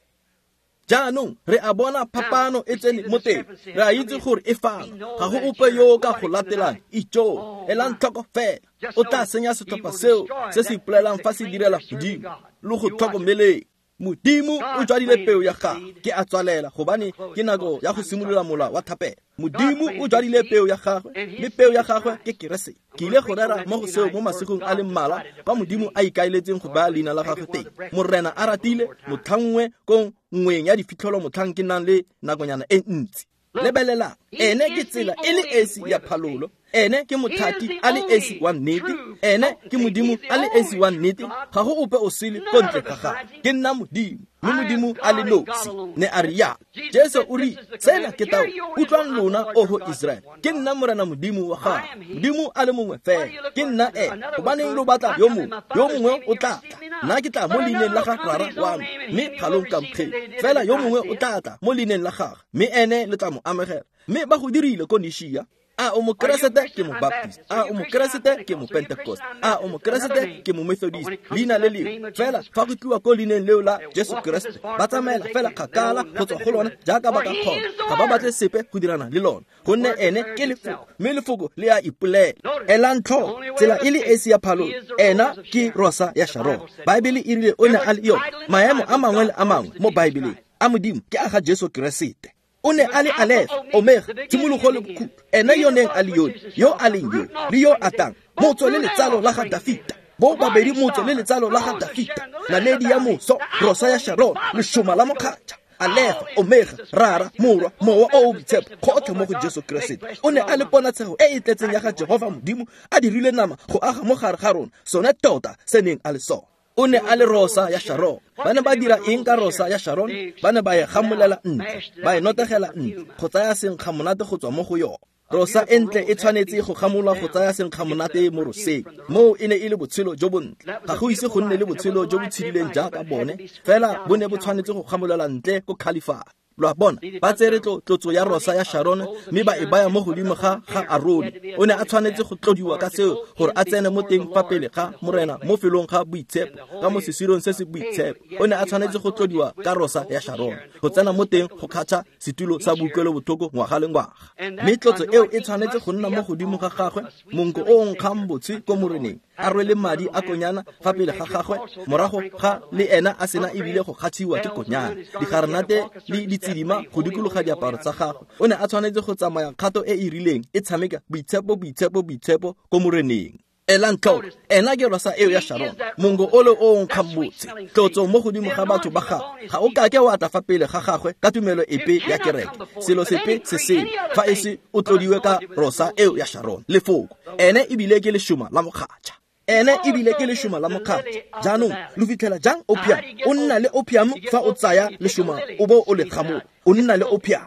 jaanong re a bona phapano e tsene mo teng re a itse gore e fano ga go ope yo o ka go latelang ijoo elang tlhoko fela o tla senya setlhopha seo se se ipolelang fa se direla modimo le go tlhokomeleng modimo o jwadile peo ya gagwe ke a tswalela gobane ke nako ya go simolola mola wa thapelo modimo o jwadile peo ya gagwe mme peo ya gagwe ke keresete ke ile go rera mo go seo mo masigong a le mmalwa kwa modimo a ikaeletseng go baya leina la gagwe teng morena a ratile motlhangwe ko nngweng ya difitlholo motlhang ke nang le nakonyana e ntsi lebelelang ene ke tsela e le esi ya phalolo ene ke mothati a le esi wa nnete ene ke modimo a le esi wa nnete ga go ope o sele ko ntle ga gagwe ke nna modimo mme modimo a le nosi ne a re yalo Jesu o rile sena ke tao utlwang lona oho Israele ke nna morena modimo wa gago modimo a le mongwe fela ke nna ene gobaneng lo batla yo mongwe o tla tla Nna ke tla mo leineng la ga Rara wa me, mme ga lo nkamogele. Fela yo mongwe o tla tla mo leineng la gagwe, mme ene le tla mo amogela. Mme ba go dirile ko Nishia. A o mokeresete ke mo Baptist, a o mokeresete ke mo Pentecost, a o mokeresete ke mo Methodist, leina le lengwe. Fela fa go tliwa ko leineng leo la Jesu Keresete, ba tsamaela fela kgakala go tswa go lona jaaka ba ka kgona. Ga ba batle sepe go dirana le lona, gonne ene ke lefoko, mme lefoko le a ipolela. Elang tlhoko, tsela e le esi ya phalolo, ena ke Rosa ya Sharon. Baebele e rile o ne a le yone. Maemo a mangwe le a mangwe mo Baebeleng a Modimo ke a ga Jesu Keresete. O ne a le Alefa, Omega, tshimologo le bokhutlo. Ene yo neng a le yone, yo a leng yo, le yo a tlang, motso le letsalo la ga Dafita. Bo babedi motso le letsalo la ga Dafita, naledi ya moso, Rosa ya Sharon, lešoma la mokgatšha. Alefa, Omega, Rara, Morwa, Mowa o o Boitshepo, gotlhe mo go Jesu Keresete. O ne a le ponatshego e e tletseng ya ga Jehova Modimo a dirile nama go aga mo gare ga rona, sone tota se neng a le sone. O ne a le Rosa ya Sharon. Ba ne ba dira eng ka Rosa ya Sharon? Ba ne ba e gamolela ntle, ba e notegela ntle, go tsaya senkgamonate go tswa mo go yone. Rosa e ntle e tshwanetse go gamolwa go tsaya senkgamonate mo roseng. Moo e ne e le botshelo jo bontle. Ga go ise go nne le botshelo jo bo tshedileng jaaka bone, fela bo ne bo tshwanetse go gamolela ntle ko Khalifane. Lo a bona, ba tsere tlotso ya Rosa ya Sharon mme ba e baya mo godimo ga Arone. O ne a tshwanetse go tlodiwa ka seo gore a tsene mo teng fa pele ga Morena mo felong ga boitshepo, ka mo sesirong se se boitshepo. O ne a tshwanetse go tlodiwa ka Rosa ya Sharon go tsena mo teng go kgatšha setulo sa boutlwelobotlhoko ngwaga le ngwaga. Mme tlotso eo e tshwanetse go nna mo godimo ga gagwe, monko o o nkgang botshe ko Moreneng, a rwele madi a konyana fa pele ga gagwe, morago ga le ena a sena ebile go kgatšhiwa ke konyana, digarenate le ditsidima go dikologa diaparo tsa gagwe. O ne a tshwanetse go tsamaya kgato e e rileng e tshameka boitshepo, boitshepo, boitshepo ko Moreneng. Elang tlhoko, ena ke Rosa eo ya Sharon, monko ole o nkgang botse, tlotso mo godimo ga batho ba gagwe. Ga o kake wa tla fa pele ga gagwe ka tumelo epe ya kereke, selo sepe se sengwe, fa e se o tlodiwe ka Rosa eo ya Sharon. Lefoko, ene ebile ke lešoma la mokgatšha. Ene ebile ke lešoma la mokgatšha. Jaanong lo fitlhela jang opium? O nna le opium fa o tsaya lešoma o bo o le gamola. O nna le opium.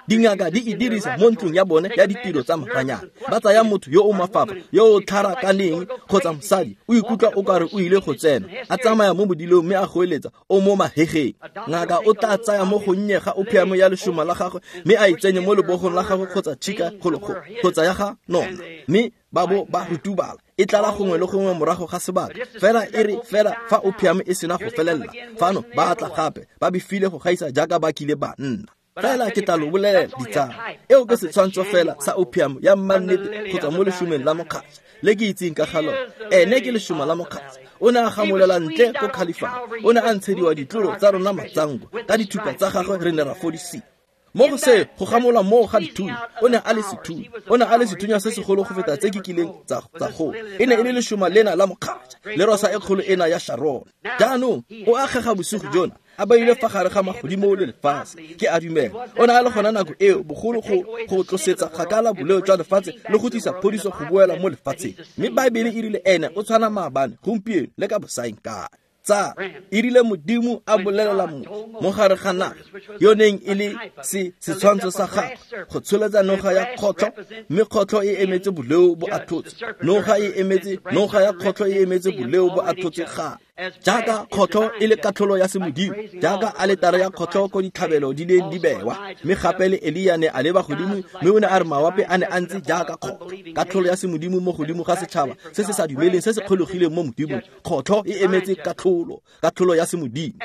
Dingaka di e dirisa mo ntlong ya bone ya ditiro tsa maranyane. Ba tsaya motho yo o mafafa, yo o tlharakaneng kgotsa mosadi, o ikutlwa o kare o ile go tsena, a tsamaya mo bodilong mme a goeletsa o mo mahegeng. Ngaka o tla tsaya mo gonnye ga opium ya lešoma la gagwe mme a e tsenye mo lebogong la gagwe kgotsa tšhika kgologolo kgotsa ya ga nona, mme ba bo ba rutubala. E tlala gongwe le gongwe morago ga sebaka. Fela e re fela fa opium e sena go felelela, fano ba tla gape ba befile go gaisa jaaka ba kile ba nna. Fela ke tla lo bolelela ditsala, eo ke setshwantsho fela sa opium ya mmannete go tswa mo lešomeng la mokgatšha le ke itseng ka ga lona. Ene ke lešoma la mokgatšha. O ne a gamolela ntle ko Khalifane. O ne a ntshediwa ditlolo tsa rona matsango, ka dithupa tsa gagwe re ne ra fodisiwa. Mo go se go gamola moo ga dithunya, o ne a le sethunya. O ne a le sethunya se segolo go feta tse ke kileng tsa go. E ne e le lešoma lena la mokgatšha, le rosa e kgolo ena ya Sharon. Jaanong o akgega bosigo jona, a beile fa gare ga magodimo le lefatshe. Ke a dumela o ne a le gona nako eo bogolo go tlosetsa kgakala boleo jwa lefatshe le go tlisa phodiso go boela mo lefatsheng. Mme Baebele e rile ene o tshwana maabane, gompieno le ka bosaeng kae. Tsa e rile Modimo a bolelela motho mo gare ga naga yo neng e le setshwantsho sa gagwe go tsholetsa noga ya kgotlho, mme kgotlho e emetse boleo bo athotse. Noga e emetse noga ya kgotlho e emetse boleo bo athotse ga. Jaaka kgotlho e le katlholo ya semodimo, jaaka aletare ya kgotlho ko ditlhabelo di neng di bewa. Mme gape le Elia ne a leba godimo, mme o ne a re mawape a ne a ntse jaaka kgotlho. Katlholo ya semodimo mo godimo ga setšhaba se se sa dumeleng, se se kgologileng mo Modimong. Kgotlho e emetse katlholo, katlholo ya semodimo.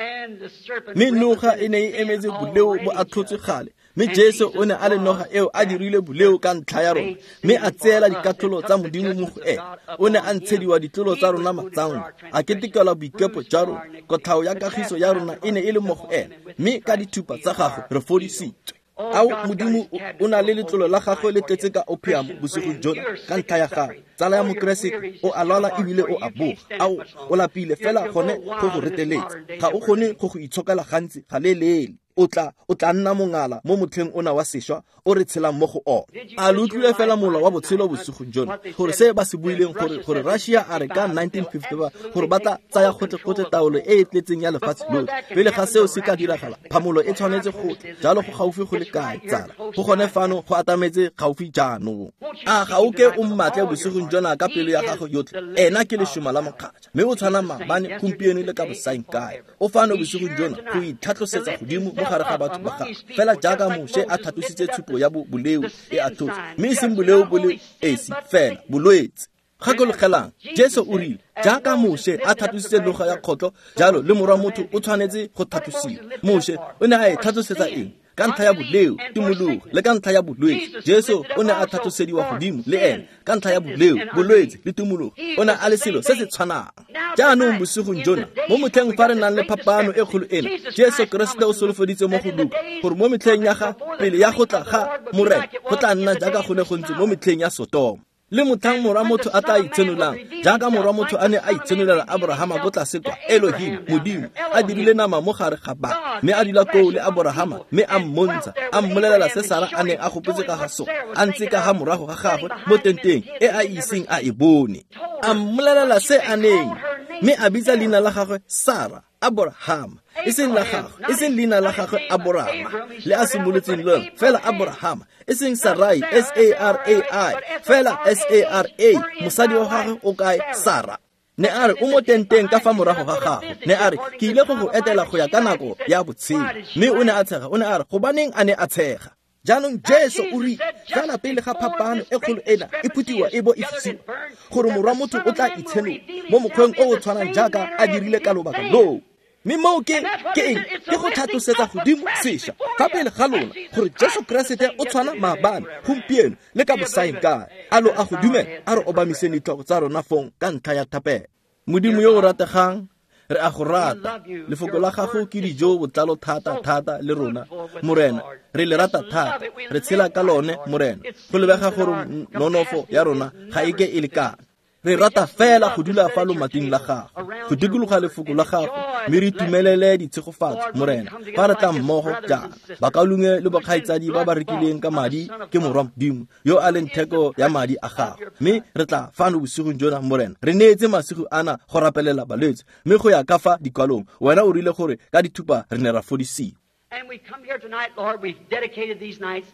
Mme noga e ne e emetse boleo bo atlhotswe gale. Mme Jesu o ne a le noga eo a dirile boleo ka ntlha ya rona, mme a tseela dikatlholo tsa Modimo mo go ene. O ne a ntshediwa ditlolo tsa rona matsango, a ketekelwa boikepo jwa rona. Kotlhao ya kagiso ya rona e ne e le mo go ene, mme ka dithupa tsa gagwe re fodisitswe. Ao Modimo o na le letlolo la gagwe le tletse ka opium bosigo jona ka ntlha ya gagwe. Tsala ya Mokeresete o a lwala ebile o a boga. Ao o lapile fela gone go go reteletse, ga o kgone go go itshokela gantsi ga leeleele. O tla nna mongala mo motlheng ona wa sešwa o re tshelang mo go ona. A lo utlwile fela mola wa botshelo bosigong jono gore se ba se buileng gore Russia a re ka 1955 gore ba tla tsaya gotlhe-gotlhe taolo e e tletseng ya lefatshe lotlhe. Pele ga seo se ka diragala, phamolo e tshwanetse go tla. Jalo go gaufi go le kae, tsala? Go gone fano go atametse gaufi jaanong. A ga o ke o mmatle bosigong jona ka pelo ya gago yotlhe? Ena ke lešoma la mokgatšha, mme o tshwana maabane, gompieno le ka bosaeng kae. O fano bosigong jona go itlhatlhosetsa godimo mo gare ga batho ba gagwe, fela jaaka Moshe a tlhatlositse tshupo ya boleo e a tlotse, mme e seng boleo bo le esi fela, bolwetse. Gakologelang, Jesu o rile, jaaka Moshe a tlhatlositse noga ya kgotlho, jalo le morwa motho o tshwanetse go tlhatlosiwa. Moshe o ne a e tlhatlosetsa eng? Ka ntlha ya boleo, tumologo, le ka ntlha ya bolwetse. Jesu o ne a tlhatlosediwa godimo le ene ka ntlha ya boleo, bolwetse le tumologo. O ne a le selo se se tshwanang. Jaanong bosigong jona, mo motlheng fa re nang le phapano e kgolo ena, Jesu Keresete o solofeditse mo go Luka gore mo metlheng ya ga pele ya go tla ga Morena go tla nna jaaka go ne go ntse mo metlheng ya Sotoma. Le motlhang morwa motho a tla itshenolang, jaaka morwa motho a ne a itshenolela Aborahama ko tlase kwa, Elohim, Modimo, a dirile nama mo gare ga ba, mme a dula koo le Aborahama, mme a mmontsha, a mmolelela se Sara a neng a gopotse ka ga sona, a ntse ka ga morago ga gagwe mo tenteng e a iseng a e bone. A mmolelela se a neng, mme a bitsa leina la gagwe Sara, Aborahama, e seng la gagwe, e seng leina la gagwe Aborama, le a simolotseng lona, fela Aborahama, e seng Sarai, S-A-R-A-I, fela S-A-R-A, mosadi wa gagwe o kae? Sara. Ne a re o mo tenteng ka fa morago ga gagwe. Ne a re, ke ile go go etela go ya ka nako ya botshelo. Mme o ne a tshega, o ne a re, gobaneng a ne a tshega? Jaanong Jesu o rile, fela pele ga phapano e kgolo ena e phuthiwa e bo e fisiwa, gore morwa motho o tla itshenola mo mokgweng o o tshwanang jaaka a dirile ka lobaka loo. Mme moo ke eng? Ke go tlhatlosetsa godimo sešwa fa pele ga lona gore Jesu Keresete o tshwana maabane, gompieno le ka bosaeng kae. A lo a go dumela? A re obamiseng ditlhogo tsa rona fong ka ntlha ya thapelo. Modimo yo o rategang, re a go rata. Lefoko la gago ke dijo botlalo thata thata le rona, Morena. Re le rata thata, re tshela ka lone, Morena. Go lebega gore nonofo ya rona ga e ke e lekana. Re rata fela go dula fa lomating la gago, go dikologa lefoko la gago, mme re itumelele ditshegofatso, Morena. Fa re tla mmogo jaana, bakaulengwe le bokgaitsadi ba ba rekileng ka madi ke morwa Modimo, yo a leng theko ya madi a gago. Mme re tla fano bosigong jona, Morena. Re neetse masigo ana go rapelela balwetse, mme go ya ka fa dikwalong, wena o rile gore ka dithupa re ne ra fodisiwa. And we come here tonight, Lord, we've dedicated these nights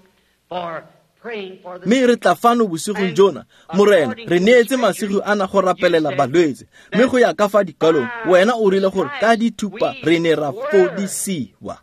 for Mme re tla fano bosigong jona, Morena, re neetse masigo ana go rapelela balwetse, mme go ya ka fa dikwalong, wena o rile gore ka dithupa re ne ra fodisiwa.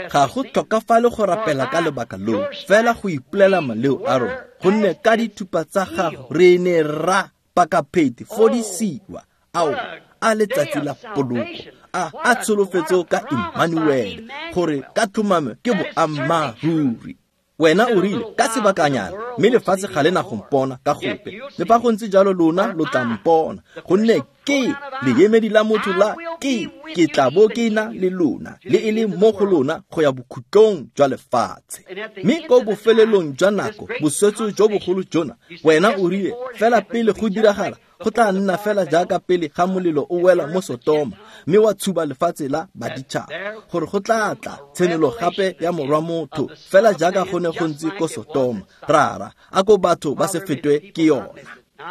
Ga go tlhokafale go rapela ka lebaka loo, fela go ipolela maleo a rona, gonne ka dithupa tsa gago re ne ra pakapheti fodisiwa. Ao, a letsatsi la poloko, a tsholofetso ka Emmanuel, gore ka tlhomamo ke boammaaruri. Wena o rile ka sebakanyana, mme lefatshe ga le na go mpona ka gope. Le fa go ntse jalo lona lo tla mpona, gonne ke leemedi la motho la ke tla bo ke na le lona, le e le mo go lona go ya bokhutlong jwa lefatshe. Mme ko bofelelong jwa nako, boswetso jo bogolo jona, wena o rile fela pele go diragala, go tla nna fela jaaka pele ga molelo o wela mo Sotoma, mme wa tshuba lefatshe la baditšhaba, gore go tla tla tshenolo gape ya morwa motho, fela jaaka go ne go ntse ko Sotoma. Rara, a ko batho ba se fetwe ke yona.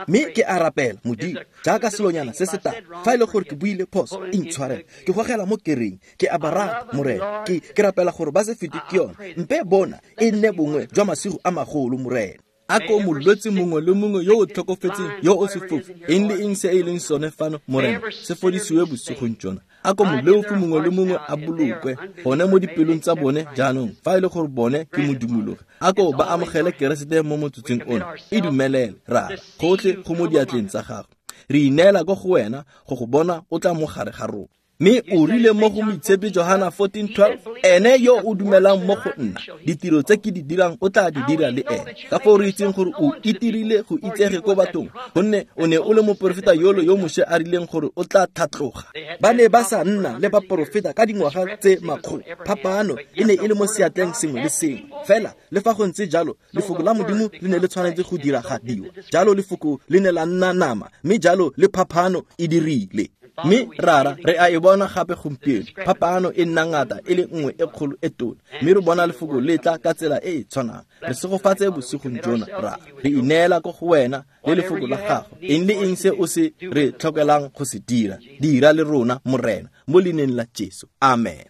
Mme ke a rapela, Modimo, jaaka selonyana se se tala, fa e le gore ke buile phoso, intshwarele, ke gogela mo kereng, ke a ba rata, Morena. Ke rapela gore ba se fetwe ke yona. Mpe bona e nne bongwe jwa masigo a magolo, Morena. A ko molwetse mongwe le mongwe yo o tlhokofetseng, yo o sefofu, eng le eng se e leng sone fano, Morena, se fodisiwe bosigong jona. A ko moleofi mongwe le mongwe a bolokwe gone mo dipelong tsa bone jaanong, fa e le gore bone ke modumologi. A ko ba amogele Keresete mo motsotsong ono. E dumelele, Rara, gotlhe go mo diatleng tsa gago. Re ineela ko go wena go go bona o tla mo gare ga rona. Mme o rile mo go Moitshepi Johana 14:12, ene yo o dumelang mo go nna, ditiro tse ke di dirang o tla di dira le ene. Ka foo re itseng gore o itirile go itsege ko bathong, gonne o ne o le moporofeta yolo yo Moshe a rileng gore o tla tlhatloga. Ba ne ba sa nna le baporofeta ka dingwaga tse makgolo. Phapano e ne e le mo seatleng sengwe le sengwe. Fela le fa go ntse jalo, lefoko la Modimo le ne le tshwanetse go diragadiwa. Jalo lefoko le ne la nna nama, mme jalo le phaphano e dirile. Mme rara re a e bona gape gompieno, phapano e nna ngata e le nngwe e kgolo e tona, mme re bona lefoko le tla ka tsela e e tshwanang. Re segofatse bosigong jona, rara. Re ineela ko go wena le lefoko la gago. Eng le eng se o se re tlhokelang go se dira, dira le rona, Morena, mo leineng la Jesu. Amen.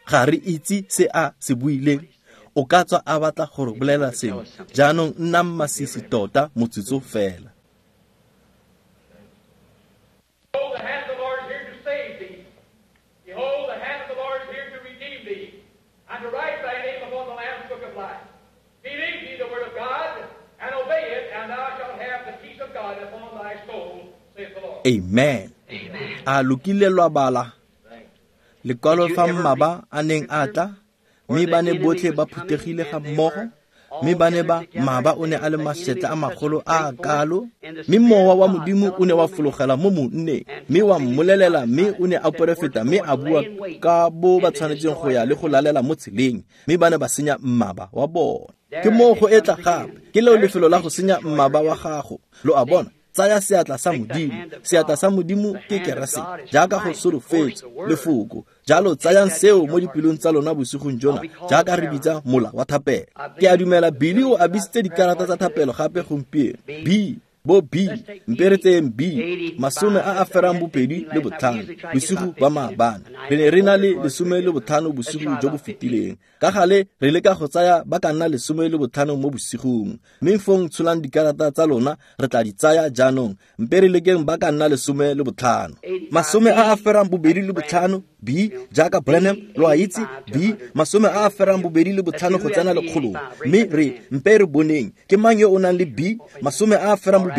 Ga re itse se a se buileng. O ka tswa a batla go re bolela sengwe. Jaanong nnang masisi tota motsotso fela. Behold, the hand of the Lord is here to save thee. Behold, the hand of the Lord is here to redeem thee, and to write thy name upon the Lamb's book of life. Believe thee the word of God, and obey it, and thou shalt have the peace of God upon thy soul, saith the Lord. Amen. A lo kile lwa bala lekwalo fa mmaba a neng a tla, mme ba ne botlhe ba phuthegile ga mmogo, mme ba ne ba mmaba o ne a le mašetla a magolo a a kalo, mme mowa wa Modimo o ne wa fologela mo monneng, mme wa mmolelela, mme o ne a porofeta, mme a bua ka bo ba tshwanetseng go ya le go lalela mo tseleng, mme ba ne ba senya mmaba wa bona. Ke moo go etla gape, ke leo lefelo la go senya mmaba wa gago. Lo a bona? Tsaya seatla sa Modimo. Seatla sa Modimo ke Keresete, jaaka go solofetswe lefoko. Jalo tsayang seo mo dipelong tsa lona bosigong jona, jaaka re bitsa mola wa thapelo. Ke a dumela Billy o abisitse dikarata tsa thapelo gape gompieno. B bo B, mpe re tseyeng B, 85 bosigo ba maabane. Re ne re na le 15 bosigo jo bo fetileng. Ka gale re leka go tsaya ba ka nna 15 mo bosigong. Mme fong tsholang dikarata tsa lona, re tla di tsaya jaanong. Mpe re lekeng ba ka nna 15. 85 B, jaaka Branham, lo a itse, B, 85 go tsena lekgolong. Mme re mpe re boneng, ke mang yo o nang le B, 85,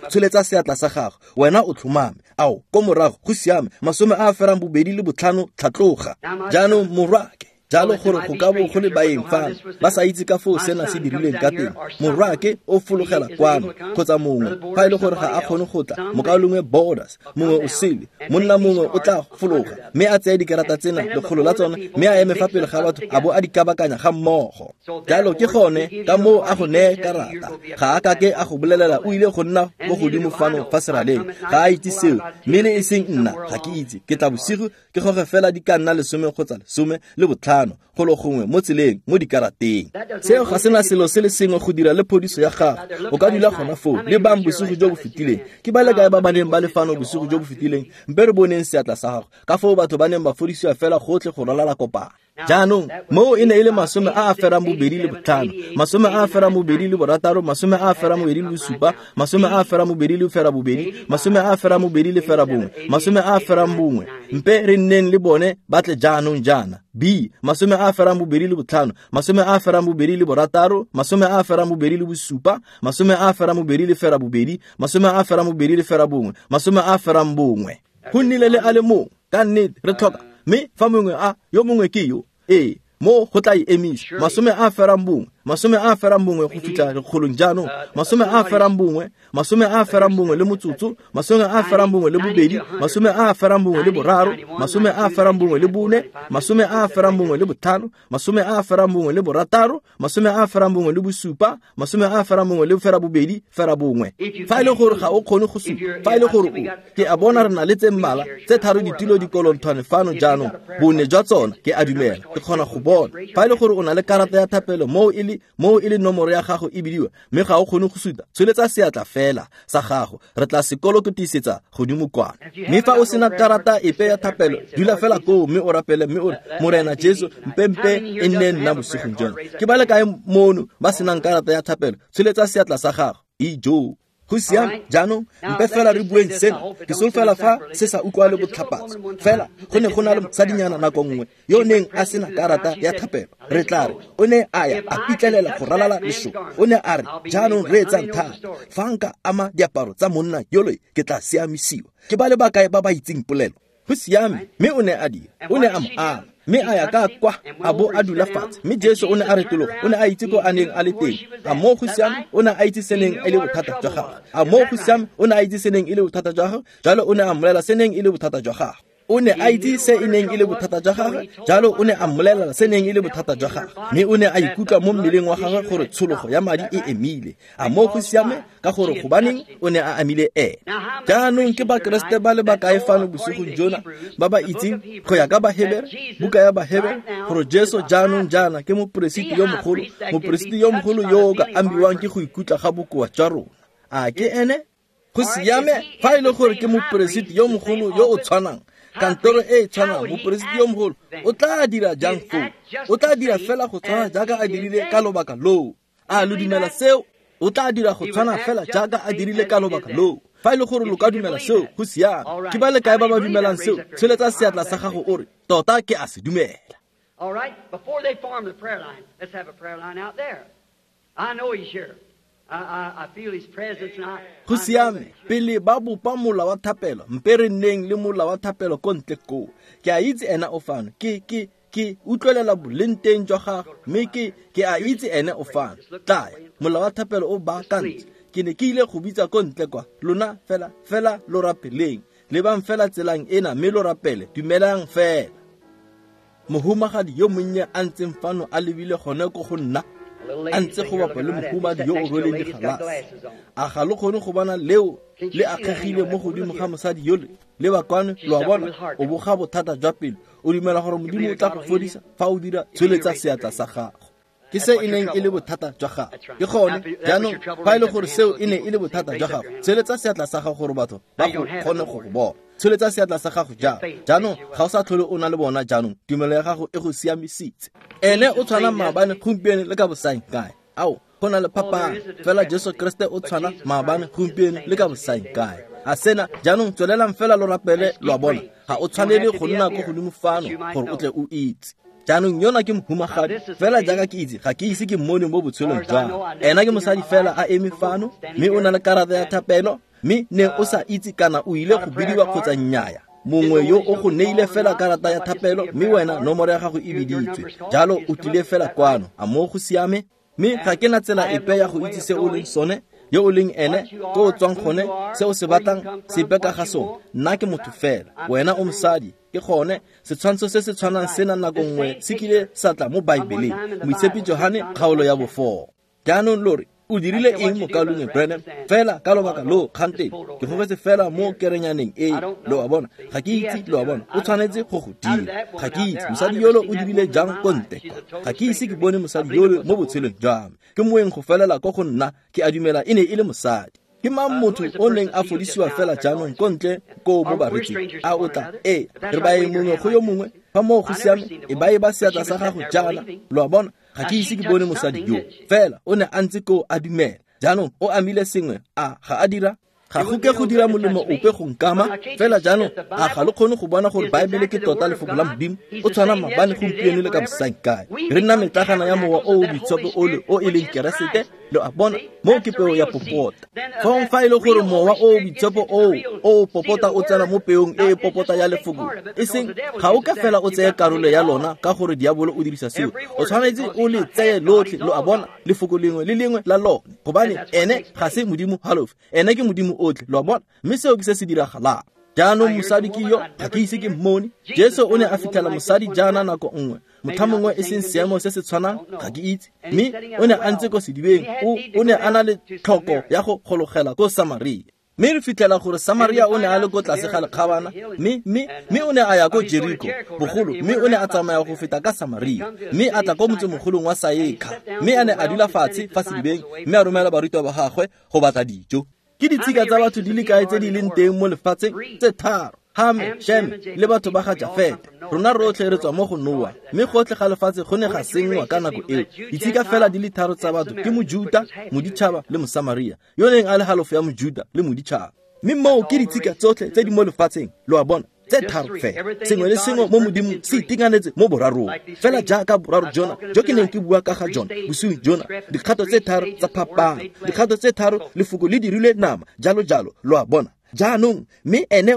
tsholetsa seatla sa gago. Wena o tlhomame. Ao, ko morago, go siame, 85, tlhatloga. Jaanong morwake, jalo gore go ka bo go le baeng fano, ba sa itse ka foo sena se dirileng ka teng. Morwake o fologela kwano, kgotsa mongwe, fa e le gore ga a kgone go tla, mokaulengwe Borders, mongwe o sele, monna mongwe o tla fologa, mme a tseye dikarata tsena, lekgolo la tsona, mme a eme fa pele ga batho, a bo a di kabakanya ga mmogo. Jalo ke gone ka moo a go neye karata. Ga a kake a go bolelela o ile go nna mo godimo fano fa seraleng. Ga a itse seo, mme le e seng nna, ga ke itse. Ke tla bosigo ke goge fela di ka nna 10 kgotsa 15 golo gongwe mo tseleng mo dikarateng. Seo ga sena selo se le sengwe go dira le phodiso ya gago. O ka dula gona foo le bang bosigo jo bo fetileng. Ke ba le kae ba ba neng ba le fano bosigo jo bo fetileng? Mpe re boneng seatla sa gago. Ka foo batho ba neng ba fodisiwa fela gotlhe go ralala kopano. Jaanong moo e ne e le 85, 86, 87, 88, 89. Mpe re nneng le bone ba tle jaanong jaana. B, 85, 86, 87, 88, 89, 91. Go nnile le a le mongwe, ka nnete re tlhoka. Mme fa mongwe a yo mongwe ke yo, ee, mo go tla e emisa. 81, 81 go fitlha lekgolong jaanong. 81, 81 le motsotso, 81 le 2, 81 le 3, 81 le 4, 81 le 5, 81 le 6, 81 le 7, 81 le 8, 9. Fa e le gore ga o kgone go supa, fa e le gore o, ke a bona re na le tse mmala tse tharo ditilo dikolonthwane fano jaanong, bone jwa tsona ke a dumela, ke kgona go bona. Fa e le gore o na le karata ya thapelo moo e le nomoro ya gago e bidiwa, mme ga o kgone go suta, tsholetsa seatla fela sa gago, re tla sekolokotisetsa godimo kwana. Mme fa o sena karata epe ya thapelo, dula fela koo mme o rapele, mme o re, Morena Jesu, mpempe e nne nna bosigong jona. Ke ba le kae mono ba senang karata ya thapelo? Tsholetsa seatla sa gago. Ijo. Go siame jaanong, mpe fela re bueng sena. Ke solofela fa se sa utlwale botlhapatso. Fela go ne go na le mosadinyana nako nngwe yo neng a sena karata ya thapelo. Re tla re o ne a ya a pitlelela go ralala lešoka. O ne a re, jaanong reetsang thata, fa nka ama diaparo tsa monna yole ke tla siamisiwa. Ke ba le bakae ba ba itseng polelo? Go siame. Mme o ne a dira, o ne a mo ama, mme a ya ka kwa a bo a dula fatshe. Mme Jesu o ne a retologa, o ne a itse ko a neng a le teng. A moo go siame, o ne a itse se neng e le bothata jwa gagwe. A moo go siame, o ne a itse se neng e le bothata jwa gagwe. Jalo o ne a mmolela se neng e le bothata jwa gagwe. O ne a itse se e neng e le bothata jwa gagwe, jalo o ne a mmolelela se neng e le bothata jwa gagwe, mme o ne a ikutlwa mo mmeleng wa gagwe gore tshologo ya madi e emile. A moo go siame? Ka gore gobaneng o ne a amile ene. Jaanong ke Bakeresete ba le bakae fano bosigong jona ba ba itseng go ya ka Bahebere, buka ya Bahebere, gore Jesu jaanong jaana ke moporesiti yo mogolo, moporesiti yo mogolo yo o ka amiwang ke go ikutlwa ga bokoa jwa rona. A ke ene? Go siame fa e le gore ke moporesiti yo mogolo yo o tshwanang, kantoro e e tshwanang, moporesiti yo mogolo o tla dira jang foo? O tla dira fela go tshwana jaaka a dirile ka lobaka loo. A lo dumela seo? O tla dira go tshwana fela jaaka a dirile ka lobaka loo. Fa e le gore lo ka dumela seo, go siame. Ke ba le kae ba ba dumelang seo? Tsholetsa seatla sa gago o re, tota ke a se dumela. All right, before they form the prayer line, let's have a prayer line out there. I know he's here. I feel his presence and I Go siame, pele ba bopa mola wa thapelo, mpe re nneng le mola wa thapelo ko ntle koo. Ke a itse ena o fano. Ke utlwelela boleng teng jwa gagwe, mme ke a itse ene o fano. Tlaya, mola wa thapelo o baakantse. Ke ne ke ile go bitsa ko ntle kwa. Lona fela fela lo rapeleng. Lebang fela tselang ena mme lo rapele. Dumelang fela. Mohumagadi yo monnye a ntseng fano a lebile gone ko go nna, a ntse go bapa le mohumadi yo o rweleng digalase. A ga lo kgone go bona leo le akgegile mo godimo ga mosadi yole? Le ba kwano, lo a bona, o boga bothata jwa pelo. O dumela gore Modimo o tla go fodisa fa o dira? Tsholetsa seatla sa gago. Ke se e neng e le bothata jwa gago. Ke gone. Jaanong fa e le gore seo e ne e le bothata jwa gago, tsholetsa seatla sa gago gore batho ba go kgone go go bona. Tsholetsa seatla sa gago jang. Jaanong ga o sa tlhole o na le bona jaanong, tumelo ya gago e go siamisitse. Ene o tshwana maabane, gompieno le ka bosaeng kae. Ao, go na le phapano, fela Jesu Kriste o tshwana maabane, gompieno le ka bosaeng kae. A sena jaanong tswelelang fela lo rapele, lo a bona. Ga o tshwanele go nna ko godimo fano gore o tle o itse. Jaanong yona ke mohumagadi, fela jaaka ke itse, ga ke ise ke mmone mo botshelong jwa me. Ena ke mosadi fela a eme fano, mme o na le karata ya thapelo, mme ne o sa itse kana o ile go bidiwa kgotsa nnyaya. Mongwe yo o go neile fela karata ya thapelo, mme wena nomoro ya gago e biditswe, jalo o tlile fela kwano. A moo go siame? Mme ga ke na tsela epe ya go itse se o leng sone, yo o leng ene, ko o tswang gone, se o se batlang, sepe ka ga sone. Nna ke motho fela, wena o mosadi. Ke gone setshwantsho se se tshwanang sena nako nngwe se kile sa tla mo Baebeleng, Moitshepi Johane kgaolo ya bo 4. Jaanong lo re, o dirile eng, mokaulengwe Branham? Fela ka lobaka loo kgantele ke gogetse fela mo kerenyaneng e, lo a bona. Ga ke itse, lo a bona. O tshwanetse go go dira. Ga ke itse mosadi yolo o dirile jang ko ntle kwa. Ga ke ise ke bone mosadi yolo mo botshelong jwa me. Ke moeng go felela ko go nna. Ke a dumela e ne e le mosadi. Ke mang motho o neng a fodisiwa fela jaanong ko ntle koo mo baretsing? A o tla? Ee, re baeng mongwe go yo mongwe. Fa moo go siame, e ba e ba seatla sa gago jaana, lo a bona. Ga ke ise ke bone mosadi yo, fela o ne a ntse koo a dumela. Jaanong o amile sengwe, a ga a dira? Ga go ke go dira molemo ope go nkama fela. Jaanong a ga lo kgone go bona gore Baebele ke tota lefoko la Modimo? O tshwana maabane, gompieno le ka bosaeng kae. Re nna metlagana ya Mowa o o Boitshepo ole o e leng Keresete, lo a bona. Moo ke peo ya popota. Fong fa e le gore Mowa o o Boitshepo oo o o popota o tsena mo peong e e popota ya lefoko, e seng ga o ka fela o tseye karolo ya lona, ka gore diabolo o dirisa seo. O tshwanetse o le tseye lotlhe, lo a bona, lefoko lengwe le lengwe la lone, gobane ene ga se Modimo halofo, ene ke Modimo otlhe, lo a bona. Mme seo ke se se diragalang jaanong. Mosadi ke yo, ga ke ise ke mmone. Jesu o ne a fitlhela mosadi jaana nako nngwe, motlha mongwe, e seng seemo se se tshwanang, ga ke itse, mme o ne a ntse ko sedibeng. O ne a na le tlhoko ya go gologela ko Samaria, mme re fitlhela gore Samaria o ne a le ko tlase ga lekgabana, mme o ne a ya ko Jeriko bogolo, mme o ne a tsamaya go feta ka Samaria, mme a tla ko motsemogolong wa Saekha, mme a ne a dula fatshe fa sedibeng, mme a romela barutwa ba gagwe go batla dijo. Ke ditshika tsa batho di le kae tse di leng teng mo lefatsheng? Tse tharo: Hame, Sheme le batho ba ga Jafete. Rona rotlhe re tswa mo go Noa, mme gotlhe ga lefatshe go ne ga senngwa ka nako eo. Ditshika fela di le tharo tsa batho ke Mojuta, moditšhaba le Mosamaria yo neng a le halofo ya Mojuta le moditšhaba, mme moo ke ditshika tsotlhe tse di mo lefatsheng, lo a bona, tse tharo fela. Sengwe le sengwe mo Modimong se itekanetse mo borarong, fela jaaka boraro jona jo ke neng ke bua ka ga jona bosigo jona, dikgato tse tharo tsa phapano, dikgato tse tharo, lefoko le dirilwe nama, jalo jalo, lo a bona. Jaanong mme ene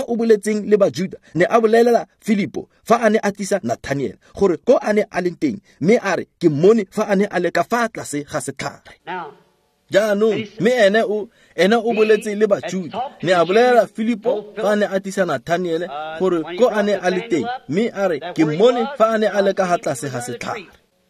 o boletseng le Bajuda ne a bolelela Filipo fa a ne a tlisa Nathaniel gore ko a ne a leng teng, mme a re, ke mmone fa a ne a le ka fa tlase ga setlhare. Now, Jaanong mme ene o boletse le Bajuda, ne a bolelela Filipo fa a ne a tlisa Nathaniele gore ko a ne a le teng, mme a re ke mmone fa a ne a le ka ga tlase ga setlhare.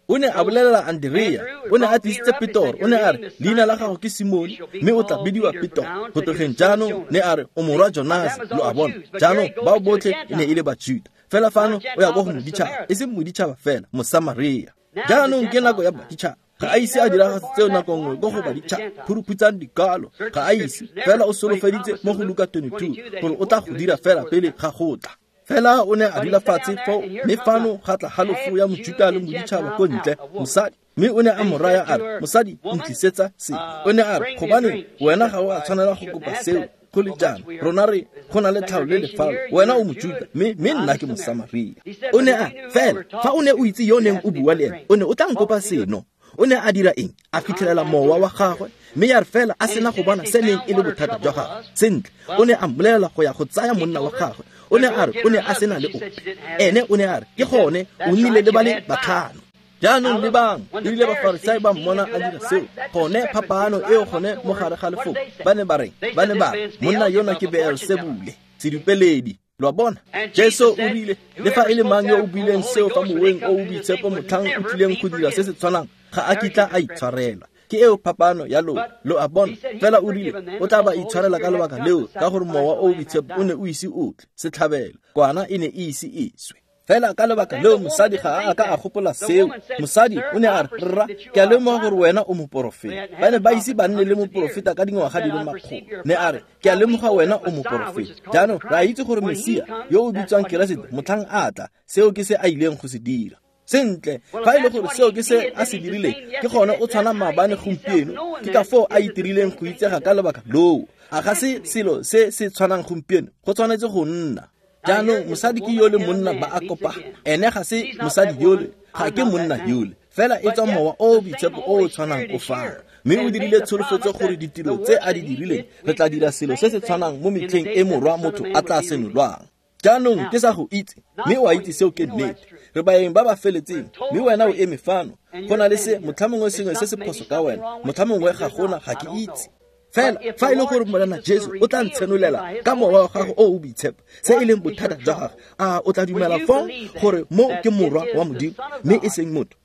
O ne a bolelela Andrea, o ne a tlisitse Petoro, o ne a re leina la gago ke Simone, mme o tla bidiwa Petoro go tlogeng jaanong. Ne a re o morwa Jonase, lo a bona. Jaanong bao botlhe e ne e le Bajuda, fela fano o ya ko go moditšhaba, e seng moditšhaba fela, Mosamaria. Jaanong ke nako ya baditšhaba. Ga a ise a diragatse tseo nako nngwe ko go baditšhaba, phuruphutsang dikalo, ga a ise, fela o solofeditse mo go Luka 22 gore o tla go dira fela pele ga go tla. Fela o ne a dula fatshe foo, mme fano ga tla halofo ya Mojuta le moditšhaba ko ntle, mosadi. Mme o ne a mo raya a re, mosadi, ntlisetsa se. O ne a re, gobane wena ga o a tshwanela go kopa seo go le jaana, rona re go na le tlhao le lefalo, wena o Mojuta, mme nna ke Mosamaria. O ne a fela fa o ne o itse yo neng o bua le ene, o ne o tla nkopa seno. O ne a dira eng? A fitlhelela mowa wa gagwe, mme ya re fela a sena go bona se neng e le bothata jwa gagwe sentle, o ne a mmolelela go ya go tsaya monna wa gagwe. O ne a re o ne a sena le ope. Ene o ne a re ke gone o nnile le ba le batlhano. Jaanong lebang, erile Bafarisai ba mmona a dira seo, gone phapaano eo gone mo gare ga lefoko, ba ne ba reng? Ba ne ba re monna yona ke Beelsebule, sedupeledi. Lo a bona? Jesu o rile le fa e le mang yo o buileng seo fa moweng o o boitshepo motlhang o tlileng go dira se se tshwanang, ga a kitla a itshwarela. Ke eo phapano ya lona, lo a bona. Fela o rile o tla ba itshwarela ka lebaka leo, ka gore mowa o o boitshepo o ne o ise o tle, setlhabelo, kwana e ne e ise e swe. Fela ka lebaka leo mosadi ga a ka a gopola seo. Mosadi o ne a re, rra, ke a lemoga gore wena o moporofeta. Ba ne ba ise ba nne le moporofeta ka dingwaga di le makgolo. Ne a re, ke a lemoga wena o moporofeta. Jaanong re a itse gore Mesia yo o bitswang Keresete motlhang a tla, seo ke se a ileng go se dira. Sentle, fa e le gore seo ke se a se dirileng, ke gone o tshwana maabane gompieno, ke ka foo a itirileng go itsega ka lebaka loo. A ga se selo se se tshwanang gompieno, go tshwanetse go nna. Jaanong mosadi ke yole monna ba a kopana, ene ga se mosadi yole, ga ke monna yole, fela e tswa mowa o o boitshepo o o tshwanang o fano. Mme o dirile tsholofetso gore ditiro tse a di dirileng, re tla dira selo se se tshwanang mo metlheng e morwa motho a tla senolwang. Jaanong ke sa go itse, mme o a itse seo ke nnete. Re baeng ba ba feletseng, mme wena o eme fano. Go na le se motlhamongwe sengwe se se phoso ka wena, motlhamongwe ga gona, ga ke itse. Fela fa e le gore Morena Jesu o tla ntshenolela ka mowa wa gago o o boitshepo se e leng bothata jwa gagwe, a o tla dumela foo gore mo ke morwa wa Modimo mme e seng motho?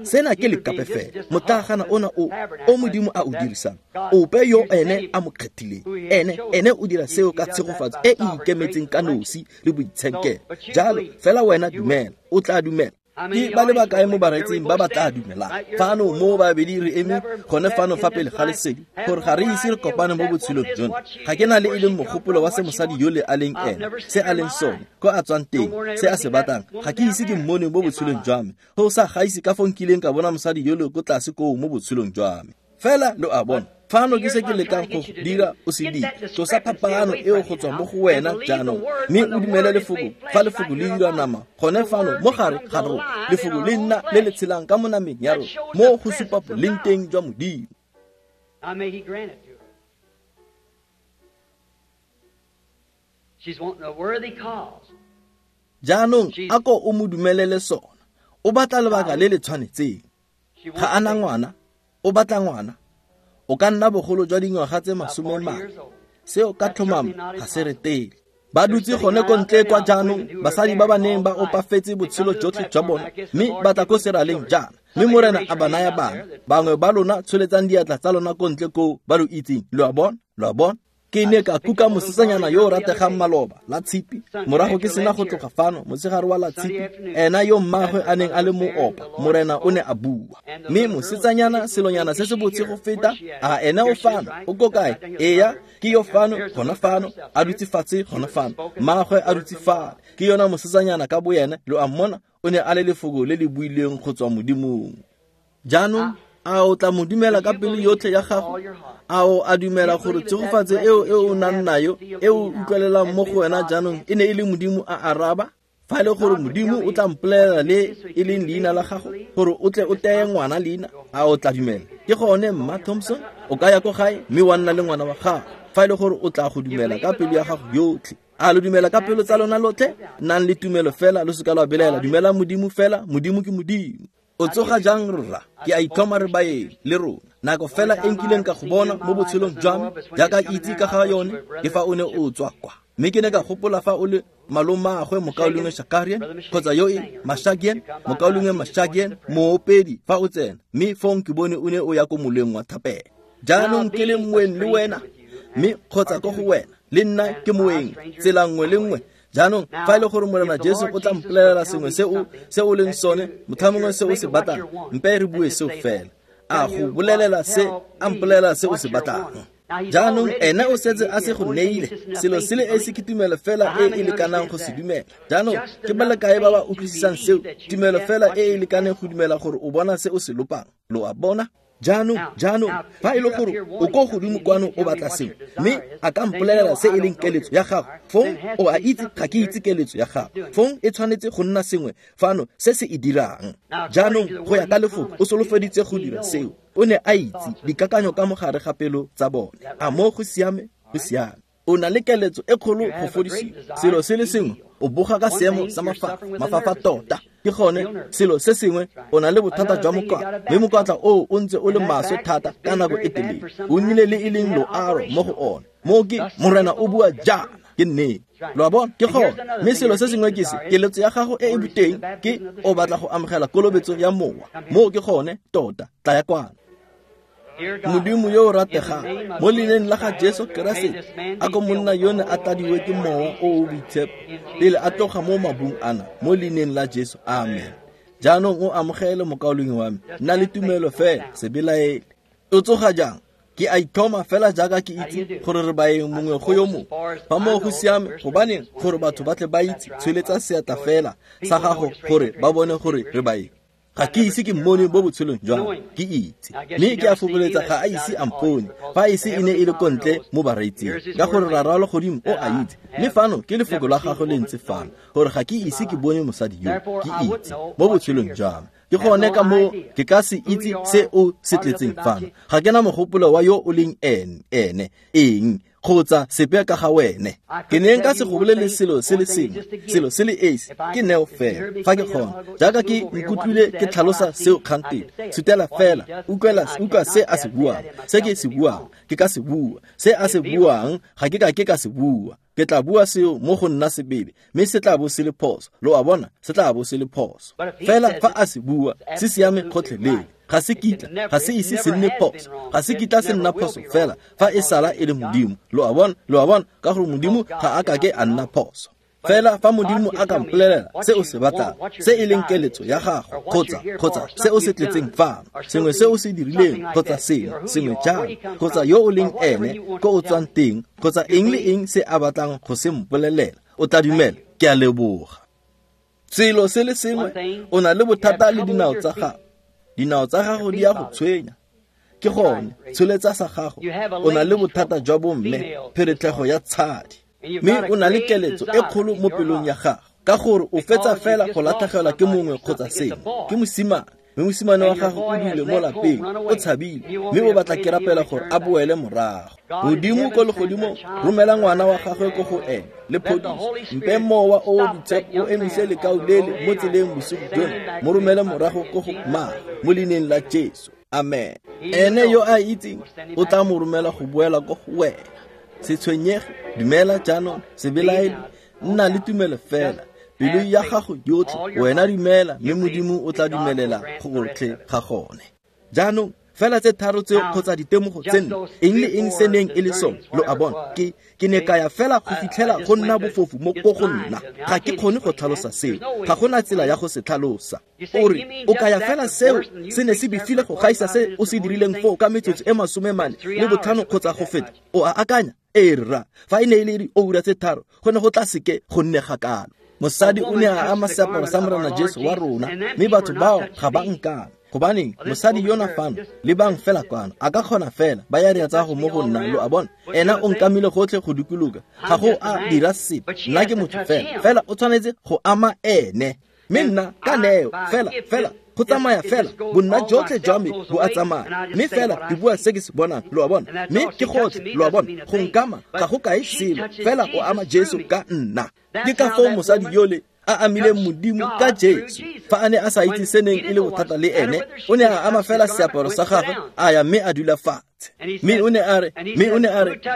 Sena ke lekape fela, motlagana ona o Modimo a o dirisang, ope yo ene a mo kgethileng, ene o dira seo ka tshegofatso e e ikemetseng ka nosi le boitshenkelo. Jalo fela wena dumela, o tla dumela. Ke ba le bakae mo bareetsing ba ba tla dumelang fano mo babedi re eme gone fano fa pele ga lesedi, gore ga re ise re kopane mo botshelong jono. Ga ke na le e leng mogopolo wa se mosadi yole a leng ene, se a leng sone, ko a tswang teng, se a se batlang. Ga ke ise ke mmone mo botshelong jwa me, go sa gaise ka fo nkileng ka bona mosadi yole ko tlase koo mo botshelong jwa me. Fela lo a bona, fano ke se ke lekang go dira o se dire. Tlosa phapano eo go tswa mo go wena jaanong, mme o dumele lefoko fa lefoko le dira nama gone fano mo gare ga rona. Lefoko le nna le le tshelang ka mo nameng ya rona, mo go supa boleng teng jwa Modimo. Jaanong a ko o mo dumelele sona. O batla lebaka le le tshwanetseng. Ga a na ngwana, o batla ngwana. O ka nna bogolo jwa dingwaga tse 40, seo ka tlhomamo ga se re tele. Ba dutse gone ko ntle kwa jaanong, basadi ba ba neng ba opafetse botshelo jotlhe jwa bona, mme ba tla ko seraleng jaana, mme Morena a ba naya bana. Bangwe ba lona tsholetsang diatla tsa lona ko ntle koo ba lo itseng. Lo a bona? Lo a bona? Ke ne ka kuka mosetsanyana yo o rategang maloba la tshipi, morago ke sena go tloga fano motshegare wa la tshipi, ena yo mmagwe a neng a le moopa, Morena o ne a bua. Mme mosetsanyana selonyana se se botse go feta, a ena o fano, o ko kae? Eya, ke yo fano, gona fano, a dutse fatshe gona fano, mmagwe a dutse fale. Ke yona mosetsanyana ka boyena, lo a mmona, o ne a le lefoko le le builweng go tswa Modimong. Jaanong a o tla mo dumela ka pelo yotlhe ya gago? A o a dumela gore tshegofatso eo e o nang nayo, e o utlwelelang mo go wena jaanong, e ne e le Modimo a araba? Fa e le gore Modimo o tla mpolelela le e leng leina la gago, gore o tle o teye ngwana leina, a o tla dumela? Ke gone Mma Thompson, o ka ya ko gae mme wa nna le ngwana wa gago, fa e le gore o tla go dumela ka pelo ya gago yotlhe. A lo dumela ka pelo tsa lona lotlhe? Nnang le tumelo fela, lo seka lwa belaela. Dumela Modimo fela, Modimo ke Modimo. O tsoga jang rra? Ke a itlhoma re baeng le rona. Nako fela e nkileng ka go bona mo botshelong jwa me, jaaka ke itse ka ga yone, ke fa o ne o tswa kwa. Mme ke ne ka gopola fa o le malomaagwe mokaulengwe Shakarian, kgotsa yo e Mashagian, mokaulengwe Mashagian, moopedi fa o tsena, mme fong ke bone o ne o ya ko moleng wa thapelo. Jaanong ke le moeng le wena, mme kgotsa ko go wena, le nna ke moeng, tsela nngwe le nngwe. Jaanong fa e le gore Morena Jesu o tla mpolelela sengwe se o leng sone, motlhamongwe se o se batlang, mpe re bue seo fela. A go bolelela se, a mpolelela se o se batlang. Jaanong ene o setse a se go neile, selo se le esi ke tumelo fela e e lekanang go se dumela. Jaanong ke ba le kae ba ba utlwisisang seo? Tumelo fela e e lekaneng go dumela gore o bona se o se lopang. Lo a bona? Jaanong, fa e le gore o ko godimo kwano o batla sengwe, mme a ka mpolelela se e leng keletso ya gago, fong o a itse ga ke itse keletso ya gago, fong e tshwanetse go nna sengwe fano se se e dirang. Jaanong go ya ka lefoko o solofeditse go dira seo. O ne a itse dikakanyo ka mogare ga pelo tsa bone. A mo go siame? Go siame. O na le keletso e kgolo go fodisiwa. Selo se le sengwe, o boga ka seemo sa mafafa tota. Ke gone selo se sengwe, o na le bothata jwa mokwatla, mme mokwatla oo o ntse o le maswe thata ka nako e telele. O nnile le e leng loaro mo go one. Moo ke Morena o bua jaana, ke nnete. Lo a bona? Ke gone. Mme selo se sengwe ke se, keletso ya gago e e boteng ke o batla go amogela kolobetso ya mowa. Moo ke gone tota, tlaya kwano. Modimo yo o rategang, mo leineng la ga Jesu Keresete, a ko monna yone a tladiwe ke mowa o o boitshepo pele a tloga mo mabung ana, mo leineng la Jesu, amen. Jaanong o amogele mokaulengwe wa me, nna le tumelo fela, se belaele. O tsoga jang? Ke a itlhoma fela jaaka ke itse gore re baeng mongwe go yo mongwe. Fa moo go siame, gobaneng gore batho ba tle ba itse, tsholetsa seatla fela sa gago gore ba bone gore re baeng. Ga ke ise ke mmone mo botshelong jwa me, ke itse. Mme ke a fopholetsa ga a ise a mpone, fa ise e ne e le ko ntle mo bareetsing, ka gore Rara wa legodimo o a itse. Mme fano ke lefoko la gagwe le ntse fano, gore ga ke ise ke bone mosadi yo, ke itse mo botshelong jwa me. Ke gone ka moo ke ka se itse se o se tletseng fano. Ga ke na mogopolo wa yo o leng ene, eng, kgotsa sepe ka ga wene. Ke ne nka se go bolele selo se le sengwe, selo se le esi, ke neo fela, fa ke kgona. Jaaka ke nkutlwile ke tlhalosa seo kgantele, sutela fela, utlwa se a se buang, se ke se buang, ke ka se bua, se a se buang, ga ke ka ke ka se bua. Ke tla bua seo mo go nna sebele, mme se tla bo se le phoso. Lo a bona, se tla bo se le phoso. Fela fa a se bua, se siame gotlhelele. Ga se kitla, ga se ise se nne phoso, ga se kitla se nna phoso fela fa e sala e le Modimo. Lo a bona, ka gore Modimo ga a kake a nna phoso. Fela fa Modimo a ka mpolelela se o se batlang, se e leng keletso ya gago, kgotsa se o se tletseng fano, sengwe se o se dirileng, kgotsa sengwe jalo, kgotsa yo o leng ene, ko o tswang teng, kgotsa eng le eng se a batlang go se mpolelela, o tla dumela. Ke a leboga. Selo se le sengwe, o na le bothata le dinao tsa gago. Dinao tsa gago di a go tshwenya. Ke gone, tsholetsa sa gago. O na le bothata jwa bomme, pheretlhego ya tshadi. Mme o na le keletso e kgolo mo pelong ya gago, ka gore o fetsa fela go latlhegelwa ke mongwe kgotsa sengwe. Ke mosimane, mme mosimane wa gago o dule mo lapeng, o tshabile, mme o batla ke rapela gore a boele morago. Modimo ko legodimong, romela ngwana wa gagwe ko go ene le phodiso. Mpe mowa o o boitshepo o emise lekau lele mo tseleng bosigo jono, mo romele morago ko go mmaagwe, mo leineng la Jesu, amen. Ene yo a itseng o tla mo romela go boela ko go wena. Se tshwenyege, dumela jaanong, se belaele, nna le tumelo fela. Pelo ya gago yotlhe, wena dumela, mme Modimo o tla dumelela gotlhe ga gone. Jaanong fela tse tharo tseo kgotsa ditemogo tse nne, eng le eng se neng e le sone, lo a bona, ke ne ka ya fela go fitlhela go nna bofofu mo ko go nna. Ga ke kgone go tlhalosa seo, ga gona tsela ya go se tlhalosa. O re, o kaya fela seo se ne se befile go gaisa se o se dirileng foo ka metsotso e 45 kgotsa go feta. O a akanya? Ee rra, fa e ne e le dioura tse 3, go ne go tla seke go nne gakalo. Mosadi o ne a ama seaparo sa Morena Jesu wa rona, mme batho bao ga ba nkana. Gobaneng mosadi yona fano, lebang fela kwano, a ka kgona fela ba ya rea tsa go mo go nna, lo a bona. Ena o nkamile gotlhe go dikologa, ga go a dira sepe, nna ke motho fela, fela o tshwanetse go ama ene. Mme nna ka neo fela go tsamaya fela, bonna jotlhe jwa me bo a tsamaya, mme fela ke bua se ke se bonang, lo a bona. Mme ke gotlhe, lo a bona, go nkama ga go kae selo, fela o ama Jesu ka nna. Ke ka foo mosadi yole a amileng Modimo ka Jesu. Fa a ne a sa itse se neng e le bothata le ene, o ne a ama fela seaparo sa gagwe, a ya mme a dula fatshe. Mme o ne a re,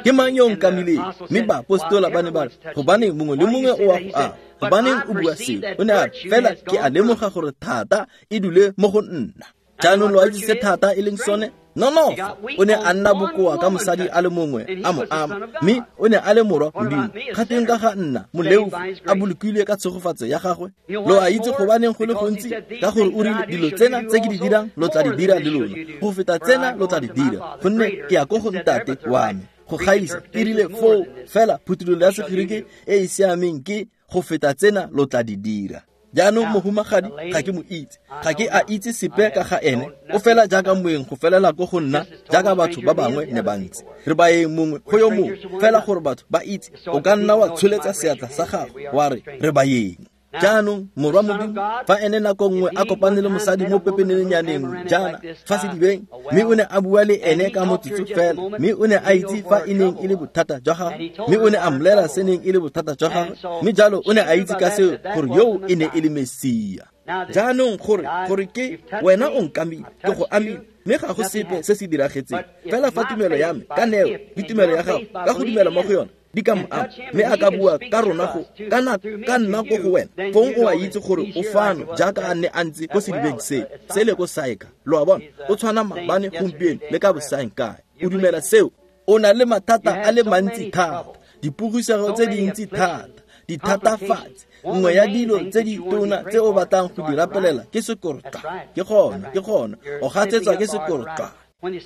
ke mang yo o nkamileng? Mme baapostola ba ne ba re, gobane mongwe le mongwe o a go ama. Gobaneng o bua seo? O ne a re, fela ke a lemoga gore thata e dule mo go nna. Jaanong lo a itse se thata e leng sone? Nonofo. O ne a nna bokoa ka mosadi a le mongwe a mo ama, mme o ne a le morwa Modimo. Gateng ka ga nna, moleofi, a bolokilwe ka tshegofatso ya gagwe. Lo a itse gobaneng go le gontsi? Ka gore o rile, dilo tsena tse ke di dirang lo tla di dira le lona, go feta tsena lo tla di dira, gonne ke ya ko go Ntate wa me. Go gaisa e rile foo fela phuthololo ya Segerike e e siameng ke go feta tsena lo tla di dira. Jaanong mohumagadi ga ke mo itse, ga ke a itse sepe ka ga ene, o fela jaaka moeng go felela ko go nna, jaaka batho ba bangwe ne ba ntse. Re baeng mongwe go yo mongwe, fela gore batho ba itse, o ka nna wa tsholetsa seatla sa gago wa re, re baeng. Jaanong morwa Modimo, fa ene nako nngwe a kopane le mosadi mo pepenenyaneng jaana fa sedibeng, mme o ne a bua le ene ka motsotso fela, mme o ne a itse fa e neng e le bothata jwa gagwe, mme o ne a mmolela se neng e le bothata jwa gagwe, mme jalo o ne a itse ka seo gore yoo e ne e le Mesia. Jaanong gore ke wena o nkamile, ke go amile, mme ga go sepe se se diragetseng. Fela fa tumelo ya me ka neo le tumelo ya gago ka go dumela mo go yona di ka mo ama, mme a ka bua ka rona go ka nna ko go wena, fong o a itse gore o fano jaaka a ne a ntse ko sedibeng se sele ko Saika. Lo a bona, o tshwana maabane, gompieno le ka bosaeng kae. O dumela seo? O na le mathata a le mantsi thata, dipogisego tse dintsi thata, dithatafatsi. Nngwe ya dilo tse di tona tse o batlang go di rapelela ke sekorotla. Ke gona, o gatsetswa ke sekorotla.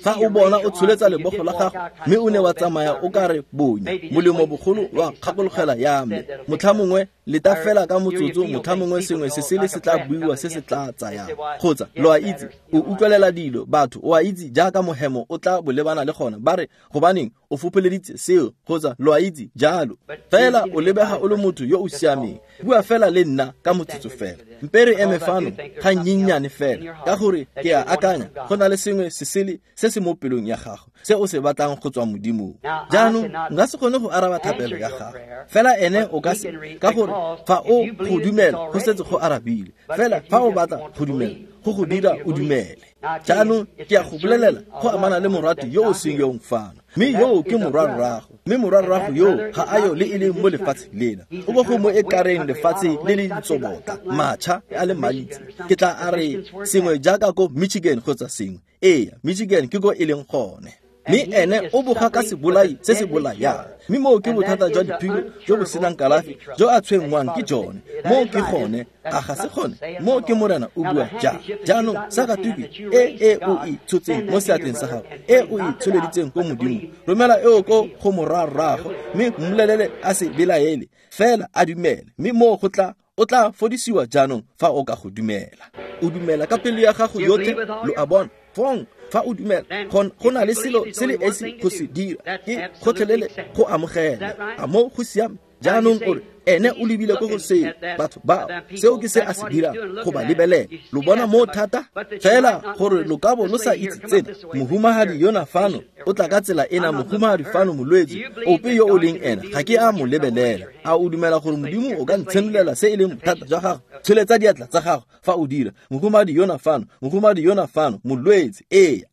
Fa o bona o tsholetsa lebogo la gago, mme o ne wa tsamaya o ka re bonya, molemo bogolo wa kgakologela ya me. Motlha mongwe leta fela ka motsotso, motlha mongwe sengwe se sele se tla buiwa se se tla tsayang. Kgotsa lo a itse, o utlwelela dilo, batho, o a itse jaaka mohemo o tla bolebana le gona, ba re gobaneng o fopoleditse seo, kgotsa lo a itse jalo. Fela o lebega o le motho yo o siameng. Bua fela le nna ka motsotso fela. Mpe re eme fano ga nnyennyane fela, ka gore ke a akanya go na le sengwe se sele se se mo pelong ya gago se o se batlang go tswa Modimong. Jaanong nka se kgone go araba thapelo ya gago, fela ene o ka se, ka gore fa o go dumela go setse go arabile. Fela fa o batla go dumela, go go dira o dumele. Jaanong ke a go bolelela go amana le morati yo o seng yong fano, mme yoo ke morwarrago, mme morwarrago yoo ga a yo le e leng mo lefatsheng lena. O bo go mo e kareng lefatshe le le ditsobotla, matšha a le mantsi. Ke tla a re sengwe jaaka ko Michigan kgotsa sengwe. Ee, Michigan ke ko e leng gone. Mme ene o boga ka sebolai se se bolayang. Mme moo ke bothata jwa diphilo jo bo senang kalafi jo a tshwenngwang ke jone. Moo ke gone, a ga se gone? Moo ke Morena o bua jang. Jaanong sakatuku e o e tshotseng mo seatleng sa gago, e o e tsholeditseng ko Modimo, romela eo ko go morwarrago, mme mmolelele a se belaele, fela a dumele. Mme moo go tla, o tla fodisiwa jaanong fa o ka go dumela. O dumela ka pelo ya gago yotlhe, lo a bona. Fong fa o dumela, go na le selo se le esi go se dira, ke gotlhelele go amogela. A mo go siame? Jaanong o re, ene o lebile ko go seo, batho bao, seo ke se a se dirang, go ba lebelela. Lo bona mo thata? Fela gore lo ka bo lo sa itse tsena, mohumagadi yona fano o tla ka tsela ena, mohumagadi fano molwetse, ope yo o leng ena, ga ke a mo lebelela. A o dumela gore Modimo o ka ntshenolela se e leng bothata jwa gago? Tsholetsa diatla tsa gago fa o dira. Mohumagadi yona fano, mohumagadi yona fano, molwetse, ee.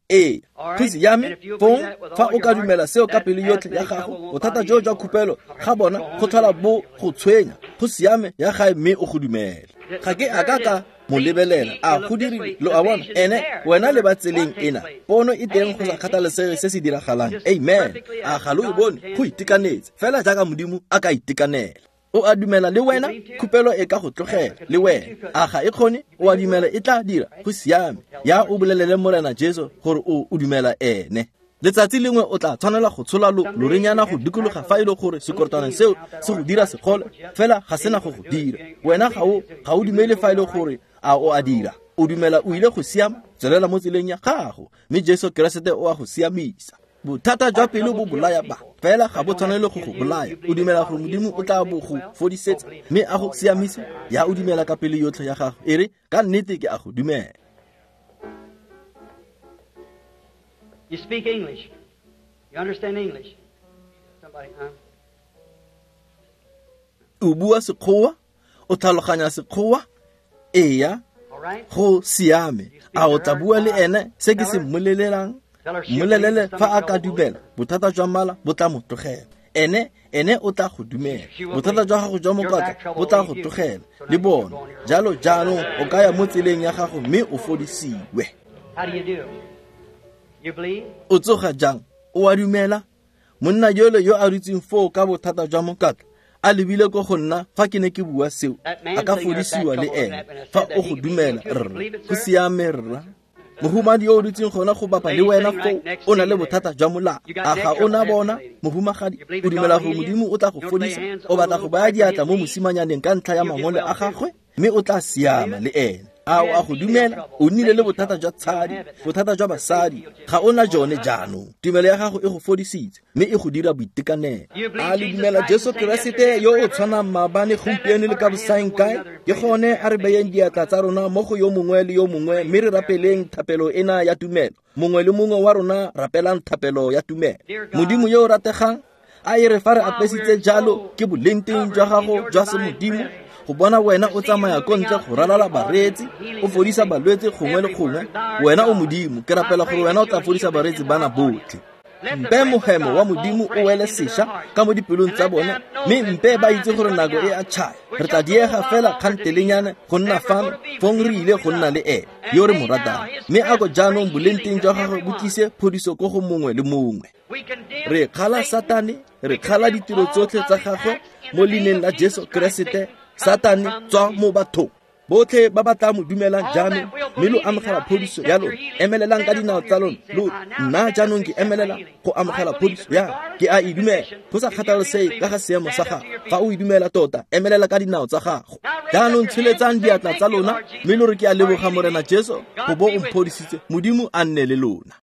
Go siame? Fong fa o ka dumela seo ka pelo yotlhe ya gago, bothata jo jwa khupelo ga bona go tlhola bo go tshwenya. Go siame, ya gae mme o go dumele. Ga ke a ka ka mo lebelela, a go dirile, lo a bona, ene wena le ba tseleng ena, pono e teng go sa kgathalesege se se diragalang. Amen. A ga lo e bone? Go itekanetse fela jaaka Modimo a ka itekanela. O a dumela le wena? Khupelo e ka go tlogela le wena. A ga e kgone? O a dumela e tla dira? Go siame. Ya o bolelele Morena Jesu gore o dumela ene. Letsatsi lengwe o tla tshwanela go tshola lorenyana go dikologa fa e le gore sekorotwana seo se go dira segole, fela ga sena go go dira. Wena ga o dumele fa e le gore a o a dira. O dumela o ile go siama, tswelela mo tseleng ya gago, mme Jesu Keresete o a go siamisa. Bothata jwa pelo bo bolaya ba, fela ga bo tshwanele go go bolaya. O dumela gore Modimo o tla bo go fodisetsa mme a go siamise? Ya o dumela ka pelo yotlhe ya gago, e re ka nnete ke a go dumela. You speak English. You understand English? Somebody, huh? O bua Sekgowa? O tlhaloganya Sekgowa? Eya, go siame. A o tla bua le ene se ke se mmolelelang? Mmolelele fa a ka dumela, bothata jwa mala bo tla mo tlogela. Ene o tla go dumela. Bothata jwa gago jwa mokatla bo tla go tlogela le bona. Jalo jaanong o ka ya mo tseleng ya gago mme o fodisiwe. O tsoga jang? O a dumela? Monna yole yo a dutseng foo ka bothata jwa mokatla a lebile ko go nna fa ke ne ke bua seo, a ka fodisiwa le ene fa o go dumela. Rra, go siame rra. Mohumadi yo o dutseng gona go bapa le wena foo o na le bothata jwa molala. A ga o na bona, mohumagadi? O dumela gore Modimo o tla go fodisa? O batla go baya diatla mo mosimanyaneng ka ntlha ya mangole a gagwe, mme o tla siama le ene. A o a go dumela? O nnile le bothata jwa tshadi, bothata jwa basadi, ga o na jone jaanong. Tumelo ya gago e go fodisitse mme e go dira boitekanelo. A le dumela Jesu Keresete yo o tshwanang maabane, gompieno le ka bosaeng kae? Ke gone a re beyeng diatla tsa rona mo go yo mongwe le yo mongwe mme re rapeleng thapelo ena ya tumelo. Mongwe le mongwe wa rona rapelang thapelo ya tumelo. Modimo yo o rategang, a e re fa re apesitse jalo ke bolengteng jwa gago jwa semodimo, go bona wena o tsamaya ko ntle go ralala bareetsi, o fodisa balwetse gongwe le gongwe. Wena o Modimo, ke rapela gore wena o tla fodisa bareetsi bana botlhe. Mpe mohemo wa Modimo o wele sešwa ka mo dipelong tsa bone, mme mpe ba itse gore nako e a tšhaya. Re tla diega fela kgantelenyana go nna fano, fong re ile go nna le ene yo re mo ratang. Mme a ko jaanong bolengteng jwa gagwe bo tlise phodiso ko go mongwe le mongwe. Re kgala Satane, re kgala ditiro tsotlhe tsa gagwe mo leineng la Jesu Keresete. Satane, tswa mo bathong. Botlhe ba ba tla mo dumelang jaanong mme lo amogela phodiso ya lona, emelelang ka dinao tsa lona. Lo nna jaanong ke emelela go amogela phodiso ya ke a e dumela. Go sa kgathalesege ka ga seemo sa gago, fa o e dumela tota, emelela ka dinao tsa gago. Jaanong tsholetsang diatla tsa lona mme lo re, ke a leboga Morena Jesu go bo o mphodisitse. Modimo a nne le lona.